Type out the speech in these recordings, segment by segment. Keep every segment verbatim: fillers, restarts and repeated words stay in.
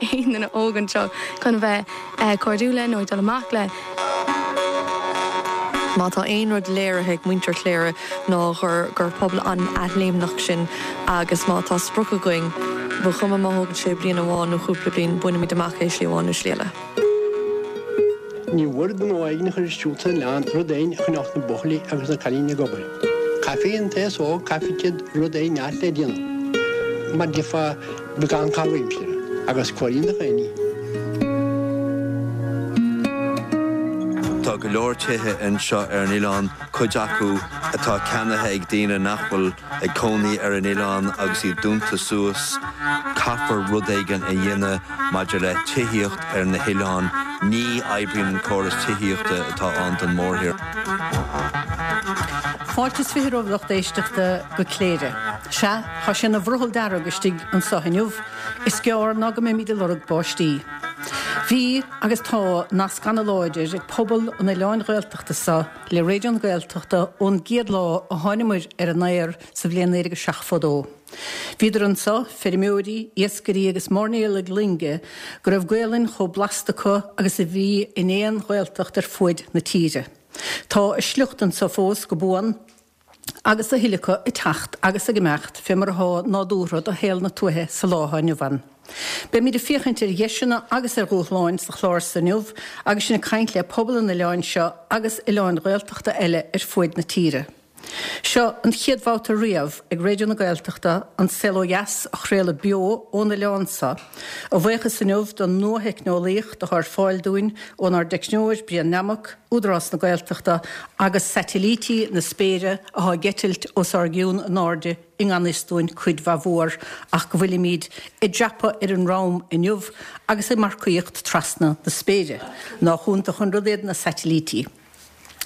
aon duine óg anseo chun bheith uh, cairdiúil nó dul amach le. Má tá aon rud léirithe ag muintir Chléire ná gur gur pobal an-athléimneach sinn agus má tá sprioc againn ba chuma má thógann sé bliain amháin nó cúpla bliain bainfimid amach é slí amháin nó slí eile. Ní bhfuair gnó éigin chur isteach lean rud éigin chun na buachaillí agus na cailíní ag obair. Caithfidh an t-aos óg caithfidh rud éigin le déanamh. Mar defa beagán caitheamh aimsire agus cuiríonn na chéine. Tá go leor tithe anseo ar an oileán cuid acu atá ceannaithe ag daoine nach bhfuil ag cónaí ar an oileán agus iad dúnta suas, caithfear rud éigin a dhéanamh maidir le tithíocht ar na hoileáin, ní oibríonn an córas tithíochta atá ann don mórthír. Fáilte is fiche romhaibh lucht éisteachta go Cléire. Sea, tá sé ina bhrothall dearg istigh anseo inniu, is gearr ná go mbeimid ag lorg báistí. Bhí agus tá nasc an-láidir ag pobal an oileáin Ghaeltachta seo le Raidió na Gaeltachta ón gcéad lá a thánamar ar an aer sa bhliain naoi déag seachtó dó. Bhíodar anseo, feirmeoirí, iascairí agus mairnéalaigh loinge go raibh Gaelainn chomh blasta acu agus a bhí in aon Ghaeltacht ar fuaid na tíre. Tá a sliocht anseo fós go buan agus a thuilleadh acu ag teacht agus ag imeacht fé mar atá nádúrtha do shaol na tuaithe sa lá atá inniu ann. Beimid ag féachaint ar dheiseanna agus ar dhúshláin sa chlár seo inniu agus sinn ag caint le pobal an oileáin seo agus oileáin Ghaeltachta eile ar fuaid na tíre. Seo an chéad bhabhta riamh ag Raidió na Gaeltachta an Saol Ó Dheas a chraoladh beo ón oileán seo, a bhuíochas inniu don nuatheicneolaíocht atá ar fáil dúinn ónár dteicneoir Brian Nammock, Údarás na Gaeltachta agus satailítí na spéire atá ag eitilt os ár gcionn in airde i ngan fhios dúinn cuid mhaith mhór ach go bhfuilimid ag dreapadh ar an rom inniu agus ag marcaíocht trasna na spéire. Nach iontach an rud iad na satailítí.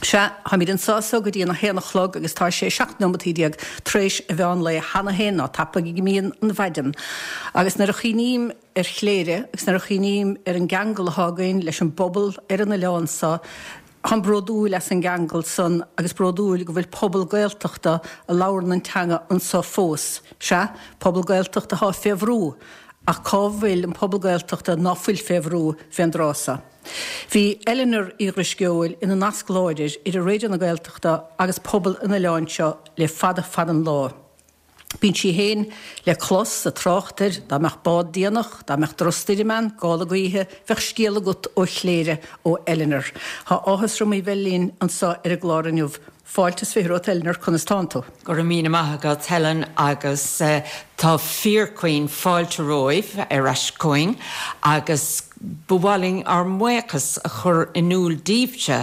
Sea, táimid anseo so go dtí an a haon a chlog agus tá sé seacht nóimeataí déag tar éis an mheán lae cheana féin ná tapaidh go mbíonn an mhaidin. Agus nuair a chuimhním ar Chléire agus nuair a chuimhním ar an gceangal atá againn leis an bpobal ar an oileán seo, táim bródúil as an gceangal san agus bródúil go bhfuil pobal Gaeltachta a labhrann an teanga anseo fós. Sea, pobal Gaeltachta atá fé bhrú, ach cá bhfuil an pobal Gaeltachta ná fuil fé bhrú fén dtráth seo. Bhí Eleanor Uí Dhrisceoil ina nasc láidir idir Raidió na Gaeltachta agus pobal an oileáin seo le fada fada an lá. Bíonn sí féin le clos sa trácht air, dá mbeadh bád déanach, dá mbeadh drochstoirm ann, gála gaoithe, bheadh scéal agat ó Chléire, ó Eleanor. Tá áthas orm í bheith linn anseo ar an gclár inniu. Fáilte is fiche romhat Eleanor, conas tánn tú? Go raibh míle maith agat Helen agus tá fíorchaoin fáilte romhaibh ar ais chugainn agus ba mhaith linn ár mbuíochas a chur in iúl daoibhse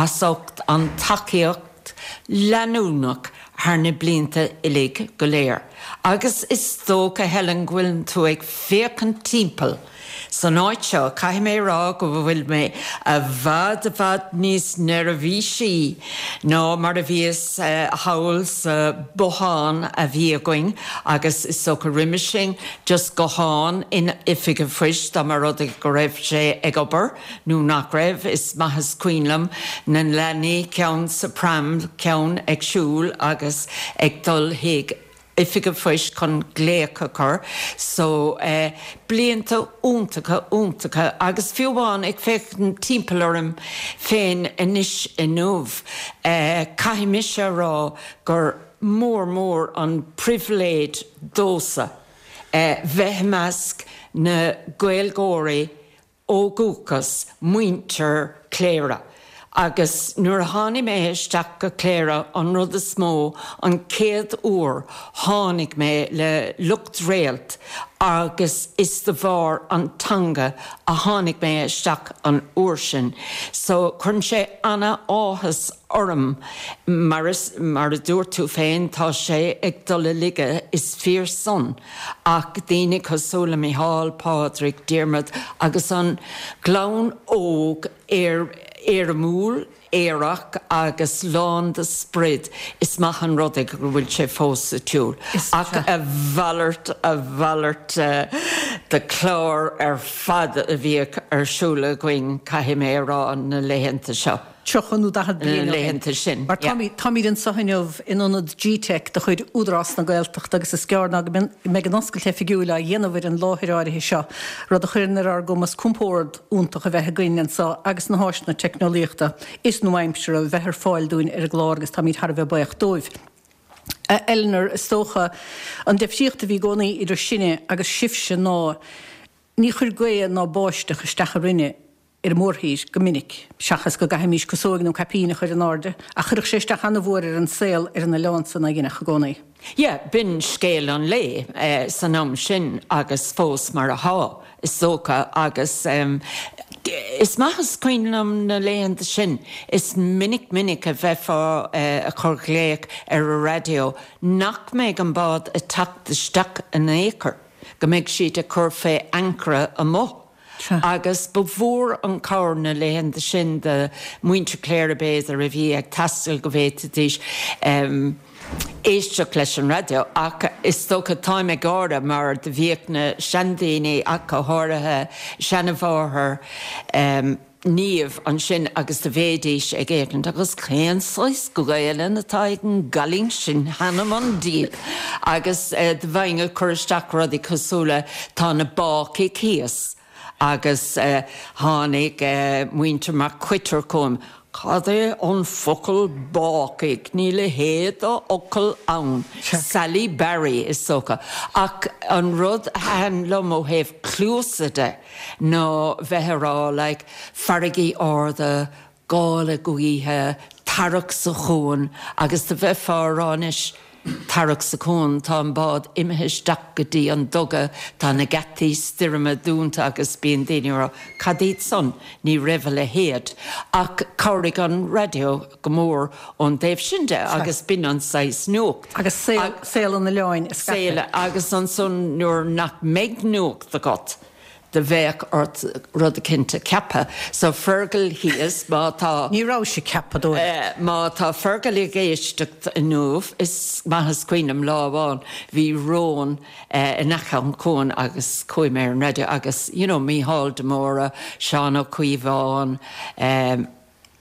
as ucht an tacaíocht leanúnach thar na blianta uilig go léir. Agus is dócha Helen go bhfuil tú ag féachaint timpeall. San áit seo caithfidh mé rá go bhfuil mé i bhfad i bhfad níos neirbhísí ná mar a bhíos thall sa bothán a bhí againn agus is dócha roimhe sin just guthán in oifig an phoist dá mba rud é go raibh sé ag obair nó nach raibh is maith is cuimhin liom na leanaí ceann sa pram ceann ag siúl agus ag dul chuig oifig an phoist chun glaoch a chur so eh, blianta iontacha iontacha agus fiú amháin ag féachaint timpeall orm féin anois inniu eh, caithfidh mise rá gur mór mór an pribhléid domhsa eh, bheith i measc na Gaeilgeoirí ó dhúchas muintir Chléire. Agus nuair a tháinig mé isteach go Cléire an rud is mó an chéad uair tháinig mé le lucht réalt agus is de bharr an teanga a tháinig mé isteach an uair sin. So cuireann sé an-áthas orm mar is mar a dúirt tú féin tá sé ag dul i laige is fíor san ach daoine cosúil le Micheál Pádraig Diarmuid agus an glúin óg ar éirimiúil aerach agus lán de sprid is maith an rud é go bhfuil sé fós sa tsiúl. Ach a mhalairt a mhalairt uh, de chlár ar fad a bhíodh ar siúl againn caithfidh mé rá na laethanta seo. tríocha nó daichead bliain Na ó shin. laethanta sin, Mar yeah. táimid táimid anseo inniu in ionad G-Tech de chuid Údarás na Gaeltachta agus is gearr ná go mbeidh an oscailt oifigiúil á dhéanamh ar an láthair áirithe seo, rud a chuireann ar ár gcumas compord iontach a bheith againn anseo agus na háiseanna teicneolaíochta is nua-aimseartha a bheith ar fáil dúinn ar an gclár agus táimid thar a bheith buíoch dóibh. A Eleanor, is dócha an difríocht a bhí i gcónaí idir sinne agus sibhse ná ní chuir gaoth ná báisteach isteach orainne ar an mórthír go minic, seachas go gcaithfimis casóg nó caipín a chur in airde, ach chuirfeadh sé isteach an-mhór ar an saol ar an oileán san aigéanach i gcónaí. Yeah, b'in scéal an lae eh, san am sin agus fós mar atá is dócha agus um, is maith is cuimhin liom na laethanta sin is minic minic a bheifeá eh, ag cur glaoch ar an raidió nach mbeidh an bád ag teacht isteach in aon chor, go mbeidh siad ag cur fé ancaire amuigh. Sea. Agus ba mhór an cabhair na laethanta sin do mhuintir Chléire b'fhéidir a bhí ag taisteal go bhféadfaidís um, éisteacht leis an raidió ach is dócha táim ag gáire mar do bhíodh na seandaoine ach go háirithe seanmháthair um, Niamh ansin agus do bhídís ag éachaint agus cén saghas Gaelainn atá ag an gcailín sin th'anam 'on diabhal. Agus uh, do bheinn ag cur isteach rudaí cosúil le tá na bácaigh thíos agus uh, tháinig uh, muintir Mac Coitir chugam. Cad é an focal bácaigh níl a leithéid de fhocal ann. Sally Barry is dócha. Ach an rud a thaitin liom ó thaobh cluasa de ná bheith ag rá like, farraigí arda, gála gaoithe, tarrac sa chuan, agus do bheifeá ag rá anois tarrac sa chuan tá an bád imithe isteach go dtí an duga tá na geataí stoirme dúnta agus bíonn daoine ag rá cad iad san ní raibh a leithéid ach chabhraigh an raidió go mór ón dtaobh sin de agus b'in an saghas nuacht. Agus saol saol an oileáin a Saol scaipeadh. agus ansan nuair nach mbeadh nuacht agat do bheadh ort rud éicint a cheapadh. So Fergal thíos má tá Ní raibh sé ceapadóir. Eh, má tá Fergal ag éisteacht inniu is maith is cuimhin liom lá amháin bhí rón eh, in aice an chuain agus chuaigh mé ar an raidió agus you know, Mícheál de Mórdha, Seán Ó Caomháin, um,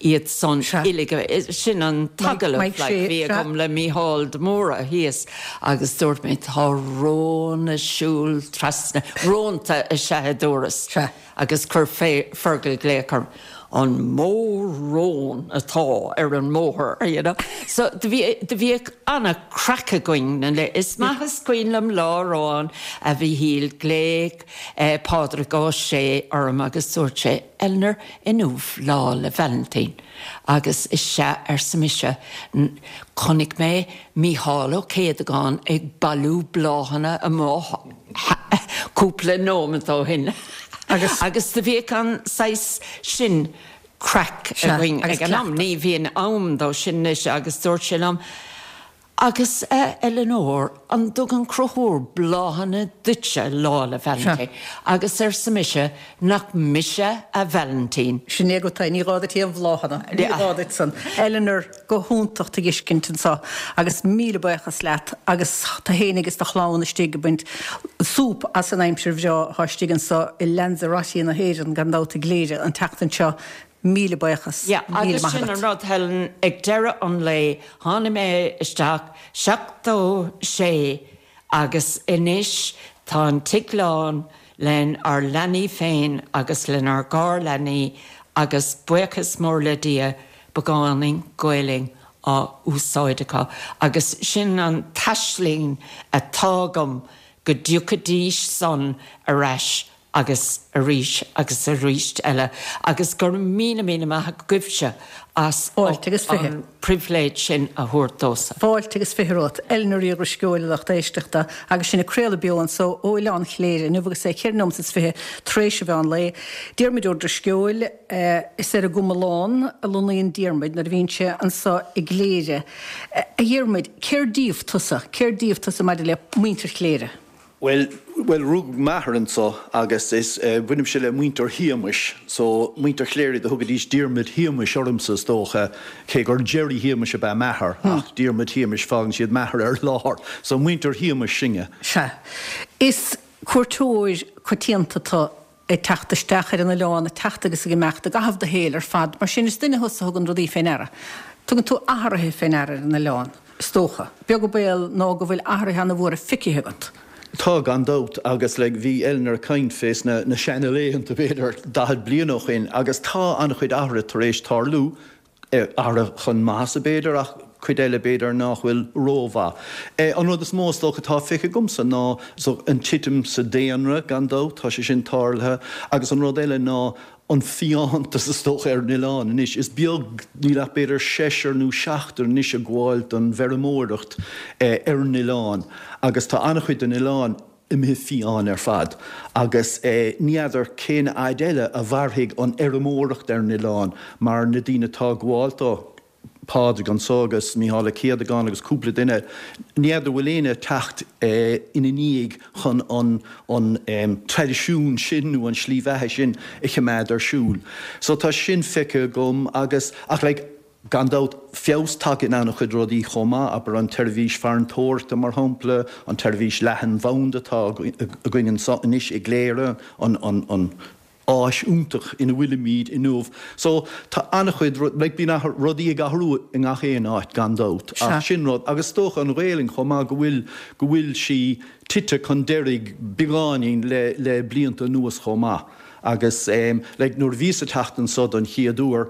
iad san Sea. uilig sin an t-agallamh Mike like, Shea, bhí sea. agam le Mícheál de Mórdha thíos agus dúirt mé tá rón ag siúl trasna rónta is ea a dúras Sea. agus chuir fé Fergal glaoch orm an mó rón atá ar an mbóthar you know? So do bhí do bhíodh an-chraic againn na le is maith is cuimhin liom lá amháin a Mhíchíl glaoch eh, Pádraig Ó Sé orm agus dúirt sé Eleanor inniu Lá 'le Vailintín. Agus is ea arsa mise chonaic mé Mícheál Ó Céadagáin ag bailiú bláthanna amuigh cúpla nóiméad ó shin. Agus- agus do bhíodh an saghas sin craic Sea, againn agus ag an am ní bhíonn am dó sin anois agus dúirt sé liom. Agus uh, Eleanor an dtugann Conchúr bláthanna duitse Lá 'le Vailintín. Agus arsa mise nach mise a Vailintín. Sin é go tá ní gá duit aon bhláthanna. Ní Yeah. gá duit san. Eleanor go hiontach tú a fheiscint anseo agus míle buíochas leat agus tú féin agus do chlann istigh ag baint súp as an aimsir bhreá atá istigh anseo i Lanzarote na hÉireann gan dabht i gCléire an tseachtain seo míle buíochas. Ja, míle agus maith sin agat. an rud Helen ag deireadh an lae tháinig mé isteach seachtó sé agus anois tá an tigh lán lenár leanaí féin agus lenár garleanaí agus buíochas mór le Dia beagáinín Gaelainn á úsáid acu. Agus sin an t-aisling atá agam go dtiocfaidís san ar ais agus arís agus arís eile, agus gur míle míle maith agaibhse as Fáilte agus fiche. an pribhléid sin a thabhairt domhsa. Fáilte agus fiche romhat Eleanor Ní Dhrisceoil lucht éisteachta agus sinn ag craoladh beo anseo ó Oileán Chléire inniu agus é ceithre nóiméad is fiche tar éis an mheán lae. Diarmuid Ó Drisceoil eh, is ar an gComalán a lonnaíonn Diarmuid nuair a bhíonn sé anseo i gCléire. Eh, A Dhiarmuid, cér díobh tusa, cér díobh tusa maidir le muintir Chléire. Well, well rugadh m'athair anseo agus is uh, bainimse le muintir Shéamais, so muintir Chléire do thugaidís Diarmuid Shéamais ormsa is dócha cé gur Jerry Shéamais ab ea m'athair ach Diarmuid Shéamais fágann siad m'athair ar lár, so muintir Shéamais sinne. Sea. Is cuairteoir coitianta tú ag teacht isteach ar an oileán, ag teacht agus ag imeacht i gcaitheamh do shaoil ar fad, mar sin is duine thusa a thugann rudaí fé ndeara. Tugann tú athruithe fé ndeara ar an oileán, is dócha. Beag an baol ná go bhfuil athruithe ana-mhóra feicthe agat. Tá, gan dabht, agus like bhí Eleanor ag caint fés na na seana-laethanta b'fhéidir daichead bliain ó shin agus tá an-chuid athruithe tar éis tarlú, athruithe chun maitheasa b'fhéidir ach cuid eile b'fhéidir nach bhfuil rómhaith. An rud is mó is dócha atá feicthe agamsa ná an titim sa daonra, gan dabht, tá sé sin tarlaithe, agus an rud eile ná an fiántas is dócha ar an oileán anois. Is beag, níl ach b'fhéidir seisear nó seachtar anois ag gabháil don bhfeirmeoireacht ar an oileán agus tá an-chuid den oileán imithe fiáin ar fad agus ní fheadar cén fhaid eile a mhairfidh an fheirmeoireacht ar an oileán mar na daoine atá ag gabháil dó, Pádraig anso agus Mícheál Ó Céadagáin agus cúpla duine, ní fheadar bhfuil éinne ag teacht ina ndiaidh chun an an traidisiún sin nó an slí bheatha sin a choimeád ar siúl. So tá sin feicthe agam agus, ach like, Gan dabht, feabhas tagtha in an-chuid rudaí chomh maith, abair an tseirbhís farantóireachta mar shampla, an tseirbhís leathanbhanda atá againn anso anois i gCléire, an áis iontach ina bhfuilimid inniu. So, tá an-chuid, like bíonn rudaí ag athrú i ngach aon áit gan dabht, ach sin rud, agus is dócha an Ghaelainn chomh maith go bhfuil, go bhfuil sí tite chun deiridh beagáinín le, le blianta anuas chomh maith. Agus like nuair a bhíos ag teacht anso don chéad uair,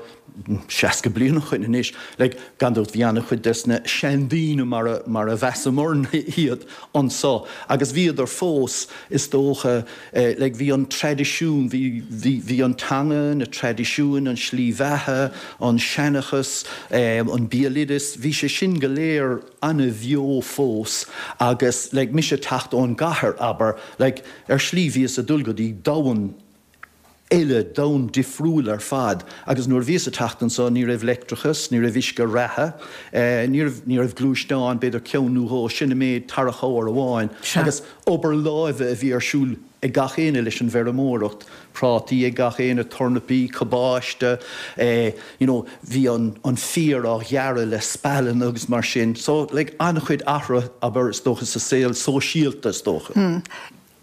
seasca bliain ó shoin anois, like gan dabht bhí an-chuid des na seandaoine mar a, mar a mheasamarna iad anso agus bhíodar fós is dócha like bhí an traidisiún, bhí, bhí, bhí an teanga, na traidisiúin, an slí bheatha, an seanchas, an béaloideas, bhí sé sin go léir an-bheo fós agus like mise ag teacht ón gcathair abair, like ar shlí bhíos ag dul go dtí domhan eile, domhan difriúil ar fad agus nuair a bhíos ag teacht anso ní raibh leictreachas, ní raibh uisce reatha, ní raibh, ní raibh gluaisteán, b'fhéidir ceann nó dhó, sin an méid, tarracóir amháin agus obair láimhe a bhí ar siúl ag gach éinne leis an bhfeirmeoireacht, prátaí ag gach éinne, tornapaí, cabáiste, you know bhí an, an féar á ghearradh le spealanna agus mar sin. So like an-chuid athruithe abair is dócha sa saol sóisialta is dócha.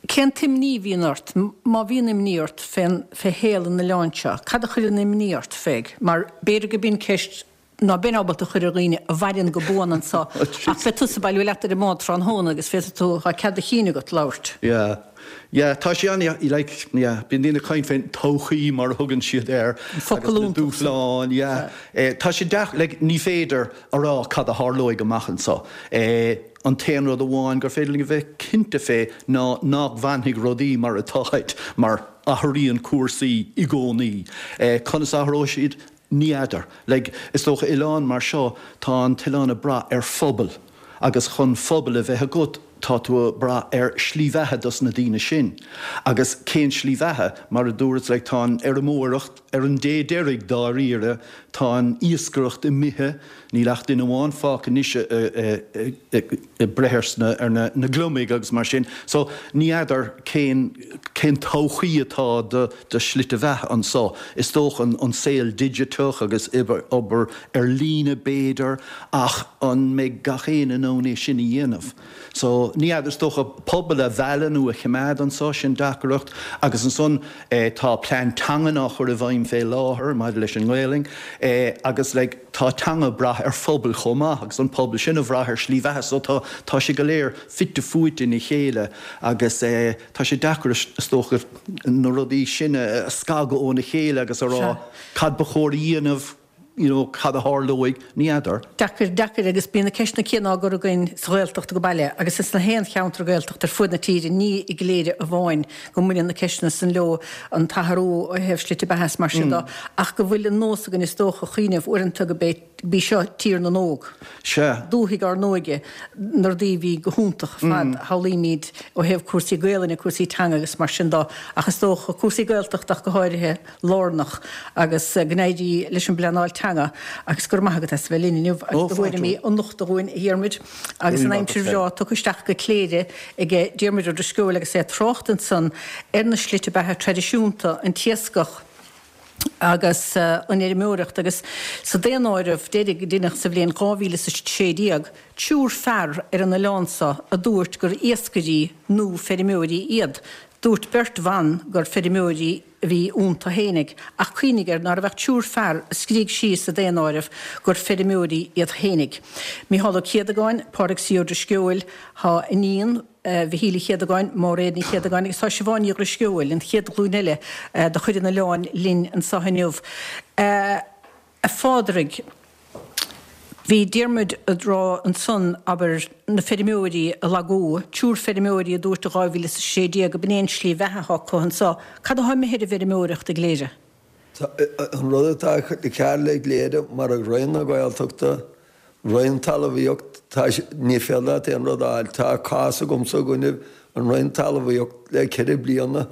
Cén t-imní a bhíonn ort, má bhíonn imní ort, fén, fé shaol an oileáin seo? Cad a chuireann imní ort fé? Mar b'fhéidir go b'in ceist ná beinn ábalta a chur ar dhaoine a mhaireann go buan anso, ach beidh tusa ag bailiú leat ar an mbád tráthnóna agus féadfaidh tú, tá cead a chinn agat labhairt. Yeah. Yeah, tá sé an, like, yeah, bíonn daoine ag caint fén todhchaí mar a thugann siad air, An focal agus na iontach san. dúshláin, yeah. Eh, tá sé deacair, like, ní féidir a rá cad a tharlóidh amach anso. Eh, An t-aon rud amháin gur féidir linn a bheith cinnte fé ná nach bhfanfaidh rudaí mar atáid, mar athraíonn cúrsaí i gcónaí. Conas a athróidh siad? Ní fheadar. Like, is dócha oileán mar seo, tá an t-oileán ag brath ar phobal agus chun phobal a bheith agat tá tú ag brath ar shlí bheatha dos na daoine sin. Agus cén slí bheatha? Mar a dúras, like, tá an fheirmeoireacht ar an dé deiridh dáiríre, tá an iascaireacht imithe, Níl ach duine amháin fágtha anois ag breith ar na gliomaigh agus mar sin. So, ní fheadar cén cén todhchaí atá do do shlite bheatha anso. Is dócha an saol digiteach agus obair ar líne b'fhéidir ach an mbeidh gach éinne in ann é sin a dhéanamh? So, ní fheadar, is dócha pobal a mhealladh nó a choimeád anso, sin deacracht. Agus ansan tá plean teangan á chur i bhfeidhm fé láthair maidir leis an nGaelainn agus like tá teanga ag brath ar phobal chomh maith agus an pobal sin ag brath ar shlí bheatha so tá tá sé go léir fite fuaite ina chéile agus tá sé deacair is dócha na rudaí sin a scagadh óna chéile agus a rá cad ba chóir a dhéanamh you know cad a tharlóidh, ní fheadar. Deacair, deacair agus bíonn na ceisteanna céanna á gcur againn sa Ghaeltacht go baile agus ins na haon cheantar Gaeltachta ar fuaid na tíre, ní i gCléire amháin go mbaineann na ceisteanna san leo, an t-athrú ó thaobh slite beatha is mar sin de, ach go bhfuil an nós againn is dócha cuimhneamh uaireanta go b'é B'í seo tír na n-óg. Sea. Dúthaigh ár n-óige, na rudaí a bhí go hiontach ar fad, a shamhlaímid ó thaobh cúrsaí Gaelainne, cúrsaí teanga agus mar sin de, ach is dócha cúrsaí Gaeltachta ach go háirithe, lárnach agus go n-éirí leis an bpleanáil teanga agus go raibh maith agat as a bheith linn inniu agus do thuairimí a nochtadh dhúinn, a Dhiarmuid. Agus an aimsir bhreá tugtha isteach go Cléire ag Diarmuid Ó Drisceoil agus é ag trácht ansan ar na slite beatha traidisiúnta, an t-iascach agus an fheirmeoireacht agus sa daonáireamh deiridh a deineadh sa bhliain dhá mhíle is a sé déag, triúr fear ar an oileán seo a dúirt gur iascairí nó feirmeoirí iad. Dúirt beirt bhan gur feirmeoirí a bhí iontu fhéinig, ach cuimhnigh air ná raibh ach triúr fear a scrígh síos sa daonáireamh gur feirmeoirí iad fhéinig. Mícheál Ó Céadagáin, Pádraig C. Ó Drisceoil, Tá iníon Mhichíl Uí Chéadagáin, Máiréad Ní Chéadagáin agus tá Siobhán Ní Dhrisceoil, an chéad ghlúin eile de chuid an oileáin linn anseo inniu. A Phádraig, Bhí Diarmuid ag rá ansan, abair, na feirmeoirí a lagú, triúr feirmeoirí a dúirt i dhá mhíle is a sé déag go b'in é an slí bheatha atá acu anso. Cad atá imithe ar an bhfeirmeoireacht i gCléire? An rud atá cearr le Cléire, mar ag Roinn na Gaeltachta, Roinn Talmhaíocht, tá, ní féidir leat aon rud a fháil. Tá cás agamsa i gcoinnibh an Roinn Talmhaíocht le ceithre bliana,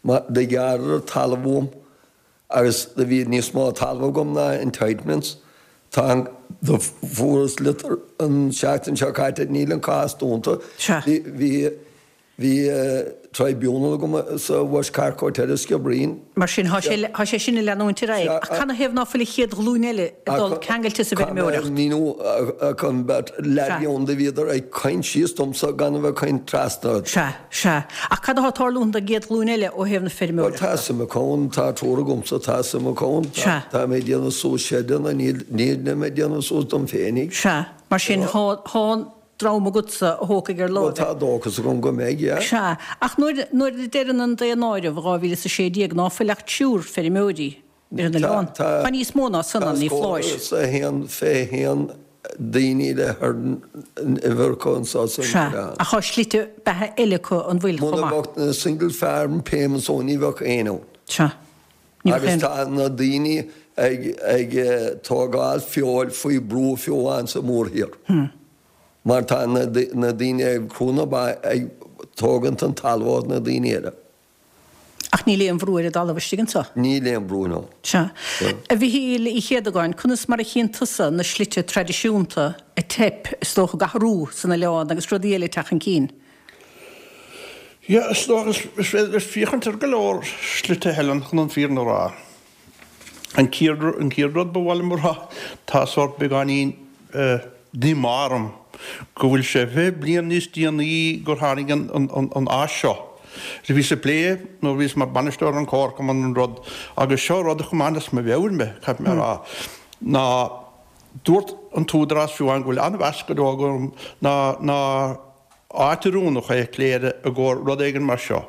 mar do ghearradar talamh uaim agus do bhí níos mó talamh agam ná entitlements. Tá an, do fuaireas litir an seachtain seo caite, níl an cás dúnta. Sea. Bhí, bhí, bhí tribunal agam sa West Cork Hotel i Skibbereen. Mar sin, thá sé, thá sé sin ag leanúint ar aghaidh. Ach canathaobh ná fuil an chéad ghlúin eile ag dul ceangailte sa bhfeirmeoireacht? Caithfidh mé a mhíniú, ach an beirt leaidí ann do bhíodar ag caint síos domsa gan a bheith ag caint trasna ort. Sea. Sea. Ach cad atá ag tarlúint don gcéad ghlúin eile ó thaobh na Bhuel, feirmeoireachta? tá suim acu ann, tá triúr agamsa, tá suim acu ann. Sea. Tá mé ag déanamh suas seideanna, níl, nílim ag déanamh suas dom féinig. Sea. Mar sin, thá, thá dream agatsa a thógfaidh ar Bhuel, láimh tá é. dóchas agam go mbeidh, yeah. Sea. Ach nuair, nuair a deireann an daonáireamh dhá mhíle is a sé déag ná fuil ach triúr feirmeoirí ar an Tá, oileán, tá, tá níos mó ná san tá ann, ní scór foláir. is a haon fiche haon daoine le herding uimhir acu anso san Sea, oileán. ach tá slite beatha eile acu an bhfuil chomh Muna maith? mbeadh na single farm payments ann ní bheadh éinne ann. Sea, ní bheadh Agus aon. tá na daoine ag ag tógáil feoil faoi brú fiú amháin sa mórthír. Mar tá na na daoine ag crú na ba ag tógaint an talamh ó na daoine eile. Ach níl aon bhrú ar an dtalamh istigh anseo. Níl aon brú, no. Sea. A Mhichíl Uí Chéadagáin, conas mar a chíonn tusa na slite traidisiúnta ag teip, is dócha, ag athrú san oileán agus rudaí eile ag teacht chun cinn? Yeah, is dócha, is féidir leat féachaint ar go leor slite, Helen, chun an fírinne a rá. An chéad an chéad rud ba mhaith liom a rá, tá sórt beagáinín díomá orm go bhfuil sé fiche bliain níos déanaí gur tháinig an an an áis seo. Do bhíos ag plé nuair a bhíos mar bainisteoir an Chomharchumann an rud agus seo rud a choimeád as mo mheabhair mé, caithfidh mé a rá, ná dúirt an t-údarás fiú amháin go bhfuil an-mheas go deo agam ná ná áit oiriúnach é Cléire i gcomhair rud éigin mar seo.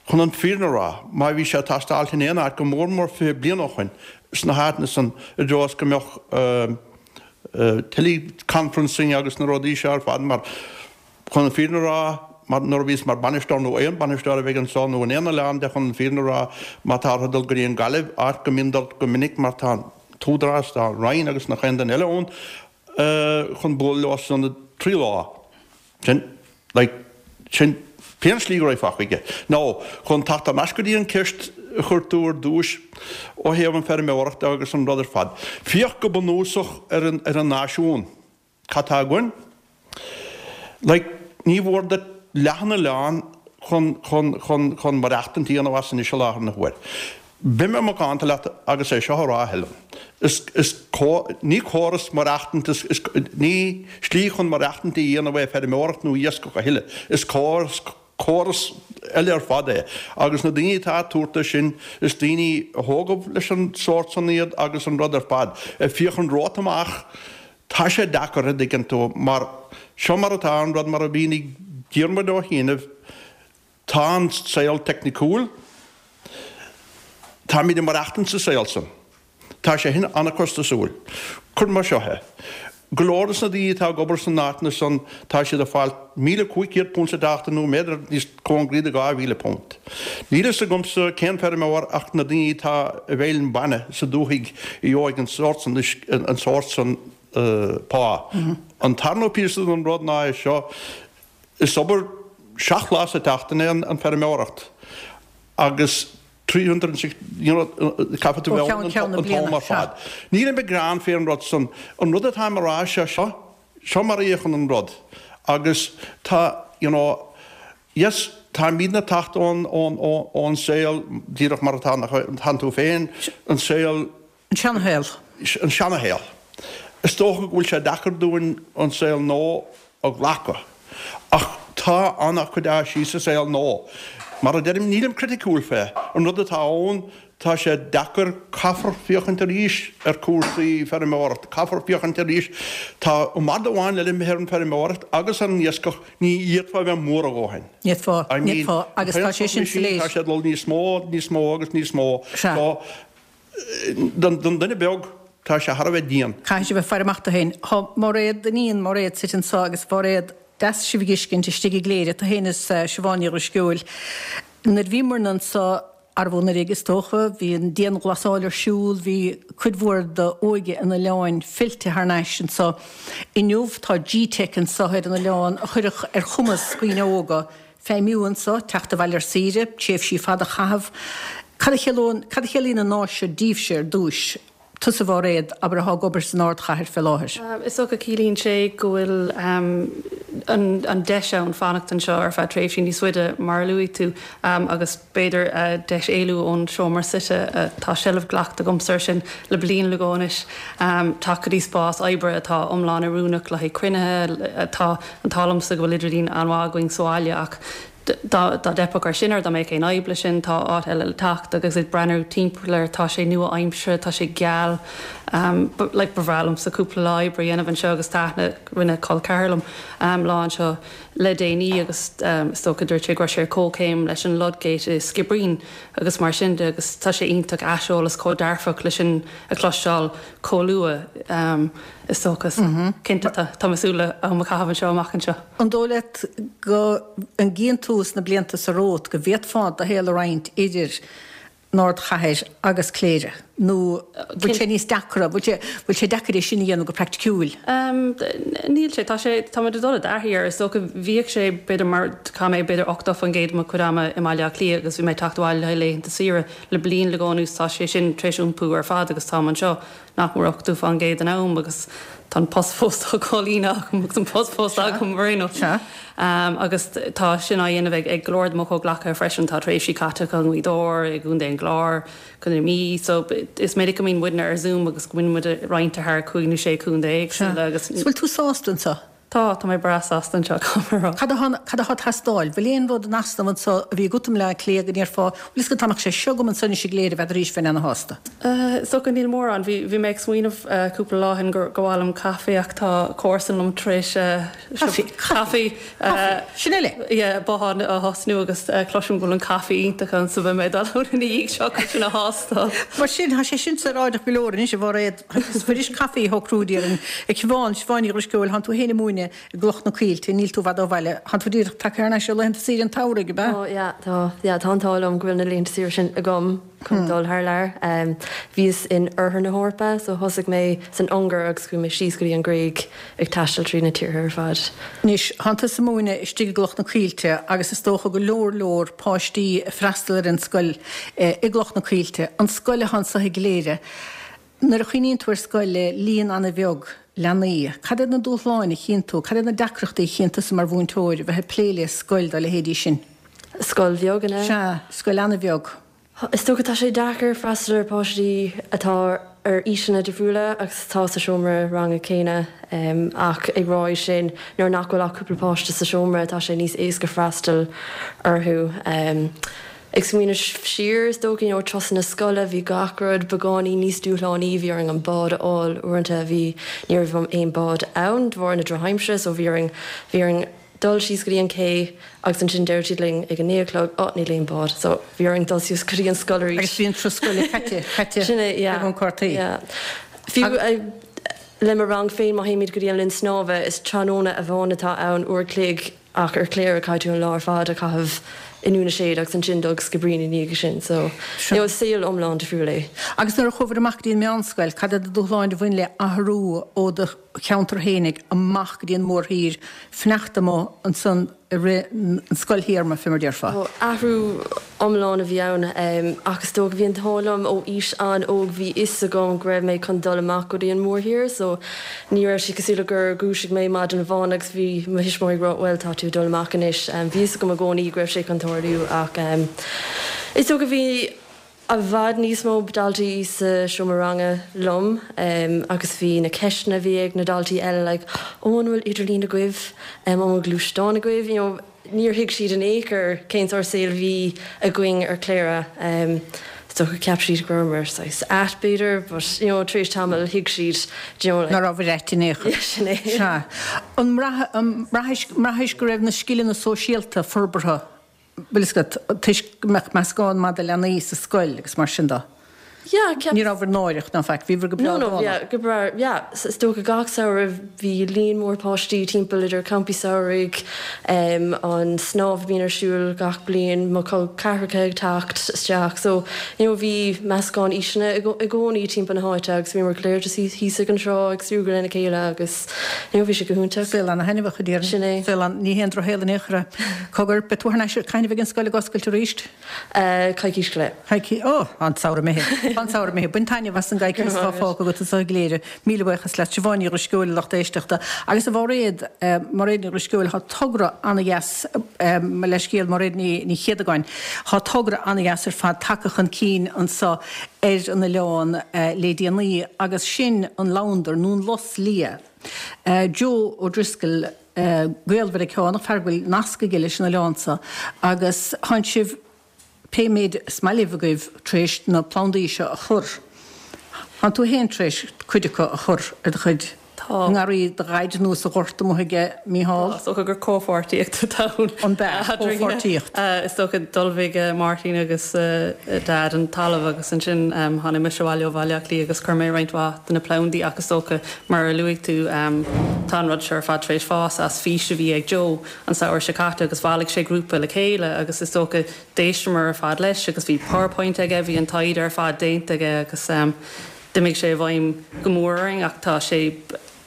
Chun an fírinne a rá, má bhí sé ag teastáilt in aon áit go mór mór fiche bliain ó shoin, sna háiteanna san i dtreo is go mbeadh teleconferencing agus na rudaí seo ar fad mar, chun an fírinne a rá, mar nuair a bhíos mar bainisteoir nó aon bainisteoir a bheidh anso nó in aon oileán de chun an fírinne a rá, má tá orthu dul go dtí an Gaillimh, áit go mbíonn dul go minic mar tá an t-údarás, tá an Roinn agus nach aon duine eile ann chun bualadh leo san ionad trí lá. Sin, like, sin pé an slí go raghfá chuige. Nó, chun teacht thar n-ais go dtí an ceist a chuir tú ar dtúis ó thaobh an feirmeoireachta agus an rud ar fad. Féach go bunúsach ar an, ar an náisiún. Cad tá againn? Like, ní mhór duit leath an oileáin chun, chun, chun, chun maireachtaint a dhéanamh as anois i láthair na huaire. Beidh mé macánta leat agus é seo a rá, a Helen. Is, is, ní córas maireachtaint, is, is, ní slí chun maireachtaint a dhéanamh é feirmeoireacht nó iascach a thuilleadh. Is córas, córas eile ar fad é. Agus na daoine atá ag tabhairt dó sin, is daoine a thógadh leis an sórt san iad agus an rud ar fad. Ag féachaint romhat amach, tá sé deacair, a dtuigeann tú, mar seo mar atá an rud mar a mhínigh Diarmuid ó chianaibh, Tá an saol teicniciúil. Táimid ag maireachtaint sa saol san. Tá sé sin an-chostasúil. Cuir mar seo é. Go leor des na daoine atá ag obair san áiteanna san, tá siad ag fáil míle cúig chéad punt sa tseachtain nó b'fhéidir níos cóngaraí do dhá mhíle punt. Níl fhios agamsa cén feirmeoir ach na daoine atá i bhfeighil na bainne sa dúthaigh a gheobhaidh an sórt san, an sórt san pá. An tarna píosa den rud ná é seo, Is obair seacht lá sa tseachtain é an feirmeoireacht agus three hundred and sixty, you know, caithfidh tú Ó bheith cheann ann ceann na an t-am bliana, ar sea. fad. Nílim ag gearán fé an rud san. An rud atáim a rá sé seo, seo mar a fhéachann an rud agus tá, you know, yes, táimidne ag teacht ón, ón, ón saol díreach mar atá, tánn tú féin, an saol, An seanashaol. an seanashaol. Is dócha go bhfuil sé deacair dúinn an saol nua a ghlacadh. Ach tá an-chuid áiseanna sa saol nua. Mar a deirim, nílim criticiúil fé. An rud atá ann, tá sé deacair, caithfear féachaint arís ar chúrsaí feirmeoireachta, caithfear féachaint arís, tá an rud amháin eile imithe ar an feirmeoireacht agus ar an iascach, ní fhéadfá a bheith mór a dhóthain. Ní fhéadfá, ní fhéadfá, agus tá sé sin soiléir. Tá sé ag dul níos mó, níos mó agus níos mó. Sea. So, don duine beag, tá sé thar a bheith dian. Caithfidh sé bheith ag faire amach dó féin. Tá Máiréad, iníon Mháiréad suite anseo agus Mháiréad, deas sibh a dh'fheiscint istigh i gCléire, tú féin is Siobhán Ní Dhrisceoil. Nuair a bhíomarna anseo, arbh anuraidh is dócha, bhí an dianghlasáil ar siúl, bhí cuid mhór d'óige an oileáin fillte thar n-ais anseo. Inniu tá G-Teic anseo ar an oileán a chuirfeadh ar chumas dhaoine óga feidhmiú anseo, teacht abhaile ar saoire, tréimhsí fada a chaitheamh. Cad a chiallaíonn, cad a chiallaíonn an áis seo daoibhse ar dtúis? Tusa, a Mháiréad, abair, atá ag obair san ardchathair fé láthair. Is dócha ciallaíonn sé go bhfuil an deis ann fanacht anseo ar feadh tréimhsí níos faide, mar a luaigh tú, agus b'fhéidir deis éalú ón seomra suite, tá seilbh glactha agamsa air sin le bliain nó dhó anois, teacht go dtí spás oibre atá iomlán oiriúnach le haghaidh cruinnithe. Tá an t-ádh liomsa go bhfuil idirlíon an-mhaith againn sa bhaile ach Dá dteipfeadh air sin or dá mbeadh aon fhadhb leis sin, tá áit eile le teacht agus ag breathnú timpeall air, tá sé nua-aimseartha, tá sé geal. Like ba bhreá liomsa cúpla lá oibre a dhéanamh anseo agus tá aithne, rinne col ceathar liom lá anseo le déanaí agus is dócha dúirt sé go raibh sé ar comhchéim leis an Ludgate i Skibbereen agus mar sin de agus tá sé iontach aiseolas chomh dearfach leis sin a chloisteáil chomh luath. Is dócha. Cinnte, tá mé ag súil le am a chaitheamh anseo amach anseo. An dóigh leat go an gcíonn tú sna blianta seo romhat go bhféadfá do shaol a roinnt idir an ardchathair agus Cléire? Nó bhfuil sé níos deacra, bhfuil sé, bhfuil sé deacair é sin a dhéanamh go praiticiúil? Níl sé. Tá sé, tá muid ag dul i dtaithí air. Is dócha, bhíodh sé b'fhéidir mar, chaith mé b'fhéidir ochtó faoin gcéad de mo chuid ama i mBaile Átha Cliath agus bhí mé ag teacht abhaile le haghaidh laethanta saoire. Le bliain nó dhó anuas tá sé sin tar éis iompú ar fad agus táim anseo. nach mór ochtó fán gcéad den am agus tá an post fós á chomhlíonadh agam agus an post fós agam mar aon. Agus tá sin á dhéanamh ag go leor de mo chomhghleacaithe freisin, tá tréimhsí caite acu i nGaoth Dobhair, i gContae an Chláir, Contae na Mí, so is minic go mbíonn muidne ar Zoom agus go mbíonn muid roinnte thar cúig nó sé chontae éagsúla agus. Bhfuil tú sásta anseo? Tá, tá mé breá sásta anseo, caithfidh mé a rá. Cad atá, cad atá ag teastáil? Bhfuil aon rud in easnamh anseo a bhí agat i mBleá Cliath go ndéarfá, bhfuil fhios agat dá mbeadh sé seo agam anseo anois i gCléire bheadh arís bheinn ana-shásta? Is dócha níl mórán. Bhí, bhí mé ag smaoineamh cúpla lá ó shin gur, gur mhaith liom caife ach tá comharsan liom tar éis Caife, caife, caife, sin eile! Yeah, bothán a thosnú agus cloisim go bhfuil an caife iontach ann so beidh mé ag dul ann ina dhiaidh seo chun sin a thástáil. Mar sin, tá sé sin saoráideach go leor anois, a Mháiréad. Is fuirist caife a shocrú, déarfainn. A Shiobhán, Siobhán Ní Dhrisceoil, thánn tú féin ag múineadh i gCloich na Coillte, níl tú i bhfad ó bhaile. Thánn tú díreach tagtha thar n-ais ó laethanta saoire an tsamhraidh, ab ea? Ó, yeah, tá, yeah, tá an t-ádh liom go bhfuil na laethanta saoire sin agam chun dul thar lear. Bhíos in oirthear na hEorpa, so thosaigh mé san Ungáir agus chuaigh mé síos go dtí an Ghréig ag taisteal trí na tíortha ar fad. Anois, thánn tusa ag múineadh istigh i gCloich na Coillte agus is dócha go leor leor páistí ag freastal ar an scoil i gCloich na Coillte, an scoil atá anso i gCléire. Nuair a chuimhníonn tú ar scoil le líon an-bheag leanaí, cad iad na dúshláin a chíonn tú, cad iad na deacrachtaí a chíonn tusa mar mhúinteoir a bheith ag plé le scoil dá leithéidí sin? Scoil bheag, an ea? Sea, scoil an-bheag. Is dócha tá sé deacair freastal ar pháistí atá ar aoiseanna difriúla agus atá sa seomra ranga céanna ach ag rá é sin nuair nach bhfuil ach cúpla páiste sa seomra tá sé níos éasca freastal orthu. Ag smaoineamh siar, is dócha, you know, turasanna scoile, bhí gach rud beagáinín níos dúshlánaí, bhí orainn an bád a fháil uaireanta, bhí, ní raibh aon bád ann de bharr na drochaimsire so bhí orainn, bhí orainn dul síos go dtí an cé agus ansin deir siad linn ag a naoi a chlog, oh níl aon bád so bhí orainn dul suas go dtí an scoil arís. Agus bhí an turas scoile caite, caite Sin é, yeah, ag an cártaí. yeah. Fiú le mo rang féin má théimid go dtí an linn snámha is tráthnóna amháin atá ann, uair a chloig, Ach ar Cléire caithfidh tú an lá ar fad a chaitheamh i nDún na Séad agus ansin dul go Skibbereen ina dhiaidh sin so you know is saol iomlán difriúil é. Agus nuair a chuabhair amach go dtí an meánscoil, cad iad na dúshláin a bhain le athrú ó do cheantar fhéinig amach go dtí an mórthír, fanacht amuigh ansan i rith an scoilthéarma, fé mar déarfá? Ó, athrú iomlán a bhí ann ach is dócha bhí an t-ádh liom ó aois an-óg bhí fhios agam go raibh mé chun dul amach go dtí an mórthír so ní raibh sé cosúil le gur dhúisigh mé maidin amháin agus bhí mo thuismitheoirí ag rá bhuel tá tú ag dul amach anois. Bhí fhios agam i gcónaí go raibh sé chun tarlú ach is dócha bhí i bhfad níos mó daltaí sa seomra ranga liom agus bhí na ceisteanna a bhí ag na daltaí eile like ó an bhfuil idirlíon agaibh, an bhfuil gluaisteán agaibh, you know níor thuig siad in aon chor cén sórt saoil a bhí againn ar Cléire. Um, so cheap siad go rabhamar saghas ait b'fhéidir, but you know, tar éis tamaill thuig siad you know, like, Ná raibh ait in aon chor. Yeah, sin é. Sea. An mbraithis go raibh na scileanna sóisialta forbartha bhfuil fhios agat, toisc go mbeadh meascán maith de leanaí sa scoil agus mar sin de? Yeah, ceap Ní rabhabhair náireach ná faic, bhíobhair go breá No, no, dána. yeah, go breá, yeah, is dócha gach samhradh bhí líon mór páistí timpeall idir campaí samhraidh, um, an snámh a bhíonn ar siúl gach bliain, mo chol ceathracha ag teacht isteach, so you know, bhí meascán aoiseanna i i gcónaí timpeall na háite agus bhíomar go léir just thíos ag an trá ag súgradh lena chéile agus you know, bhí sé go hiontach. Saol ana-thaitneamhach a déarfainn. Sin é. Saol an, ní haon drochshaol in aon chor é. Cogar, beidh tú thar n-ais, cathain a bheidh an scoil ag oscailt arís? Uh, coicís go leith. Coicís, ó, an samhradh imithe. An samhradh imithe. Bain taitneamh as an gcoicís atá fágtha agat anseo i gCléire. Míle buíochas leat, Siobhán Ní Dhrisceoil, lucht éisteachta. Agus a Mhairéad, Mairéad Ní Dhrisceoil, tá togra ana-dheas, mo leithscéal, Mairéad Ní, Ní Chéadagáin, tá togra ana-dheas ar fad tagtha chun cinn anseo ar an oileán le déanaí agus sin an labhandar nó an lus liath. Joe O'Driscoll, Gael-Mheiriceánach, fear go bhfuil nasc aige leis an oileán seo agus tánn sibh pé méid is maith libh agaibh tar éis na plandaí seo a chur. Tánn tú féin tar éis cuid acu a chur ar do chuid Tá. ngarraí do dhaid nó sa ghort amuigh aige Mícheál. Tá, is dócha gur comhpháirtíocht atá ann. An b'ea, comhpháirtíocht. Is dócha d'ullmhaigh Máirtín agus Daid an talamh agus ansin tháinig mise abhaile ó Bhaile Átha Cliath agus chuir mé roinnt mhaith de na plandaí ach is dócha mar a luaigh tú tá an rud seo ar fad tar éis fás as fís a bhí ag Joe an samhradh seo caite agus bhailigh sé grúpa le chéile agus is dócha d'éisteamar ar fad leis agus bhí PowerPoint aige, bhí an taighde ar fad déanta aige agus d'imigh sé i bhfeidhm go mór orainn ach tá sé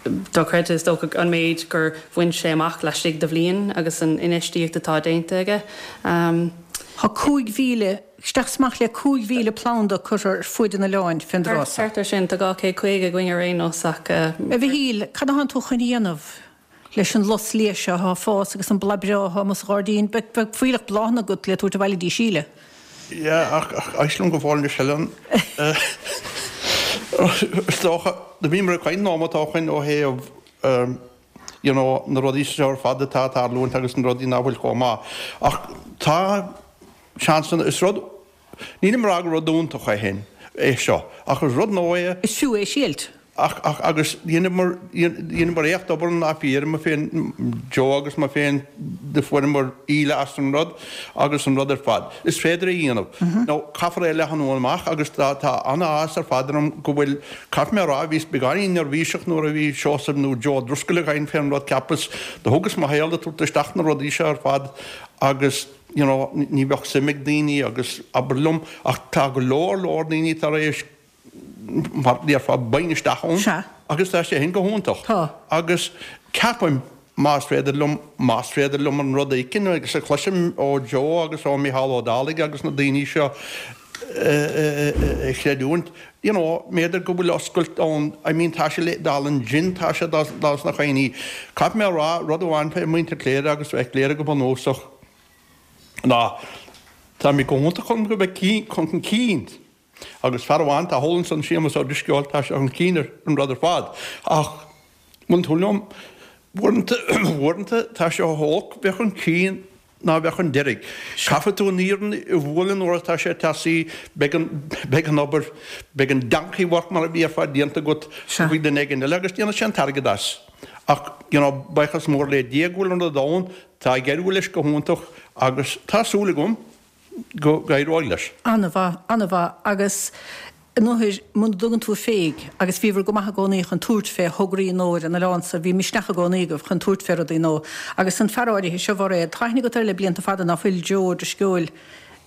dochreidte is dócha an méid gur bhain sé amach laistigh de bhliain agus an infheistíocht atá déanta aige. Tá cúig mhíle, isteach is amach le cúig mhíle planda curtha ar fuaid an oileáin fén dtráth seo. Thart ar sin, tá dhá chéad caoga againn ar aon nós ach. A Mhichíl, cad atánn tú chun a dhéanamh leis an lus liath seo atá ag fás agus an bláth breá atá amuigh sa ghairdín? Beidh fuílleach bláthanna agat le tabhairt abhaile dtí Síle. Yeah, ach éist liom go fóill anois Helen. Is dócha, do bhíomar ag caint nóiméad ó shoin ó thaobh you know, na rudaí seo ar fad atá ag tarlúint agus na rudaí nach bhfuil chomh maith. Ach tá seansanna, is rud, nílim ag rá gur rud iontach é féin, é seo, ach is rud nua é. Is fiú é a thriailt. Ach, ach, agus dheineamar, dheineamar éacht obair ná fíor, mé féin, Joe agus mé féin, do fuaireamar íle as an rud agus an rud ar fad. Is féidir é a dhéanamh. Now, caithfear é a leathnú amach agus tá, tá an-áthas ar fad orm go bhfuil, caithfidh mé a rá, bhíos beagáinín neirbhíseach nuair a bhí Seosamh nó Joe Driscoll ag caint fén rud, cheapas, do thugas mo shaol ag tabhairt isteach na rudaí seo ar fad agus, you know, ní bheadh suim ag daoine agus abair liom, ach tá go leor, leor daoine tar éis, mar déarfá, bain isteach ann. Sea. Agus tá sé sin go hiontach. Tá. Agus ceapaim, más féidir liom, más féidir liom an rud a fheiceann agus a chloisim ó Joe agus ó Mícheál Ó Dálaigh agus na daoine seo a chreidiúint, you know, m'fhéidir go bhfuil oscailt ann, I mean tá sé le dul an gin, tá sé dul sna coinní. Caithfidh mé a rá, rud amháin fé mhuintir Chléire agus fé Chléire go bunúsach ná táimid go hiontach chun go bheith chun cinn. Agus fear amháin atá thall ansan, Séamus Ó Drisceoil, tá sé chun cinn ar an rud ar fad. Ach, muna tú liom, uaireanta, uaireanta tá sé chomh holc bheith chun cinn ná bheith chun deiridh. Caithfidh tú an iarann a bhualadh nuair atá sé teasaí, beidh an, beidh an obair, beidh an donkey work mar a déarfá déanta agat faoi duine éigin eile agus déanfaidh sé an t-airgead as. Ach, you know, buíochas mór le Dia go bhfuil an rud ann, tá ag éirí leis go hiontach agus tá súil agam, go n-éireoidh leis. An-mhaith, an-mhaith. Agus nuair, muna dtugann tú féig, agus bhíobhair go maith i gcónaí chun tabhairt fé thograí nua ar an oileán so, bhí misneach i gcónaí agaibh chun tabhairt fé rudaí nua. Agus an fear áirithe seo, Mhairéad, tá aithne agat air le blianta fada, ná fuil, Joe Ó Drisceoil,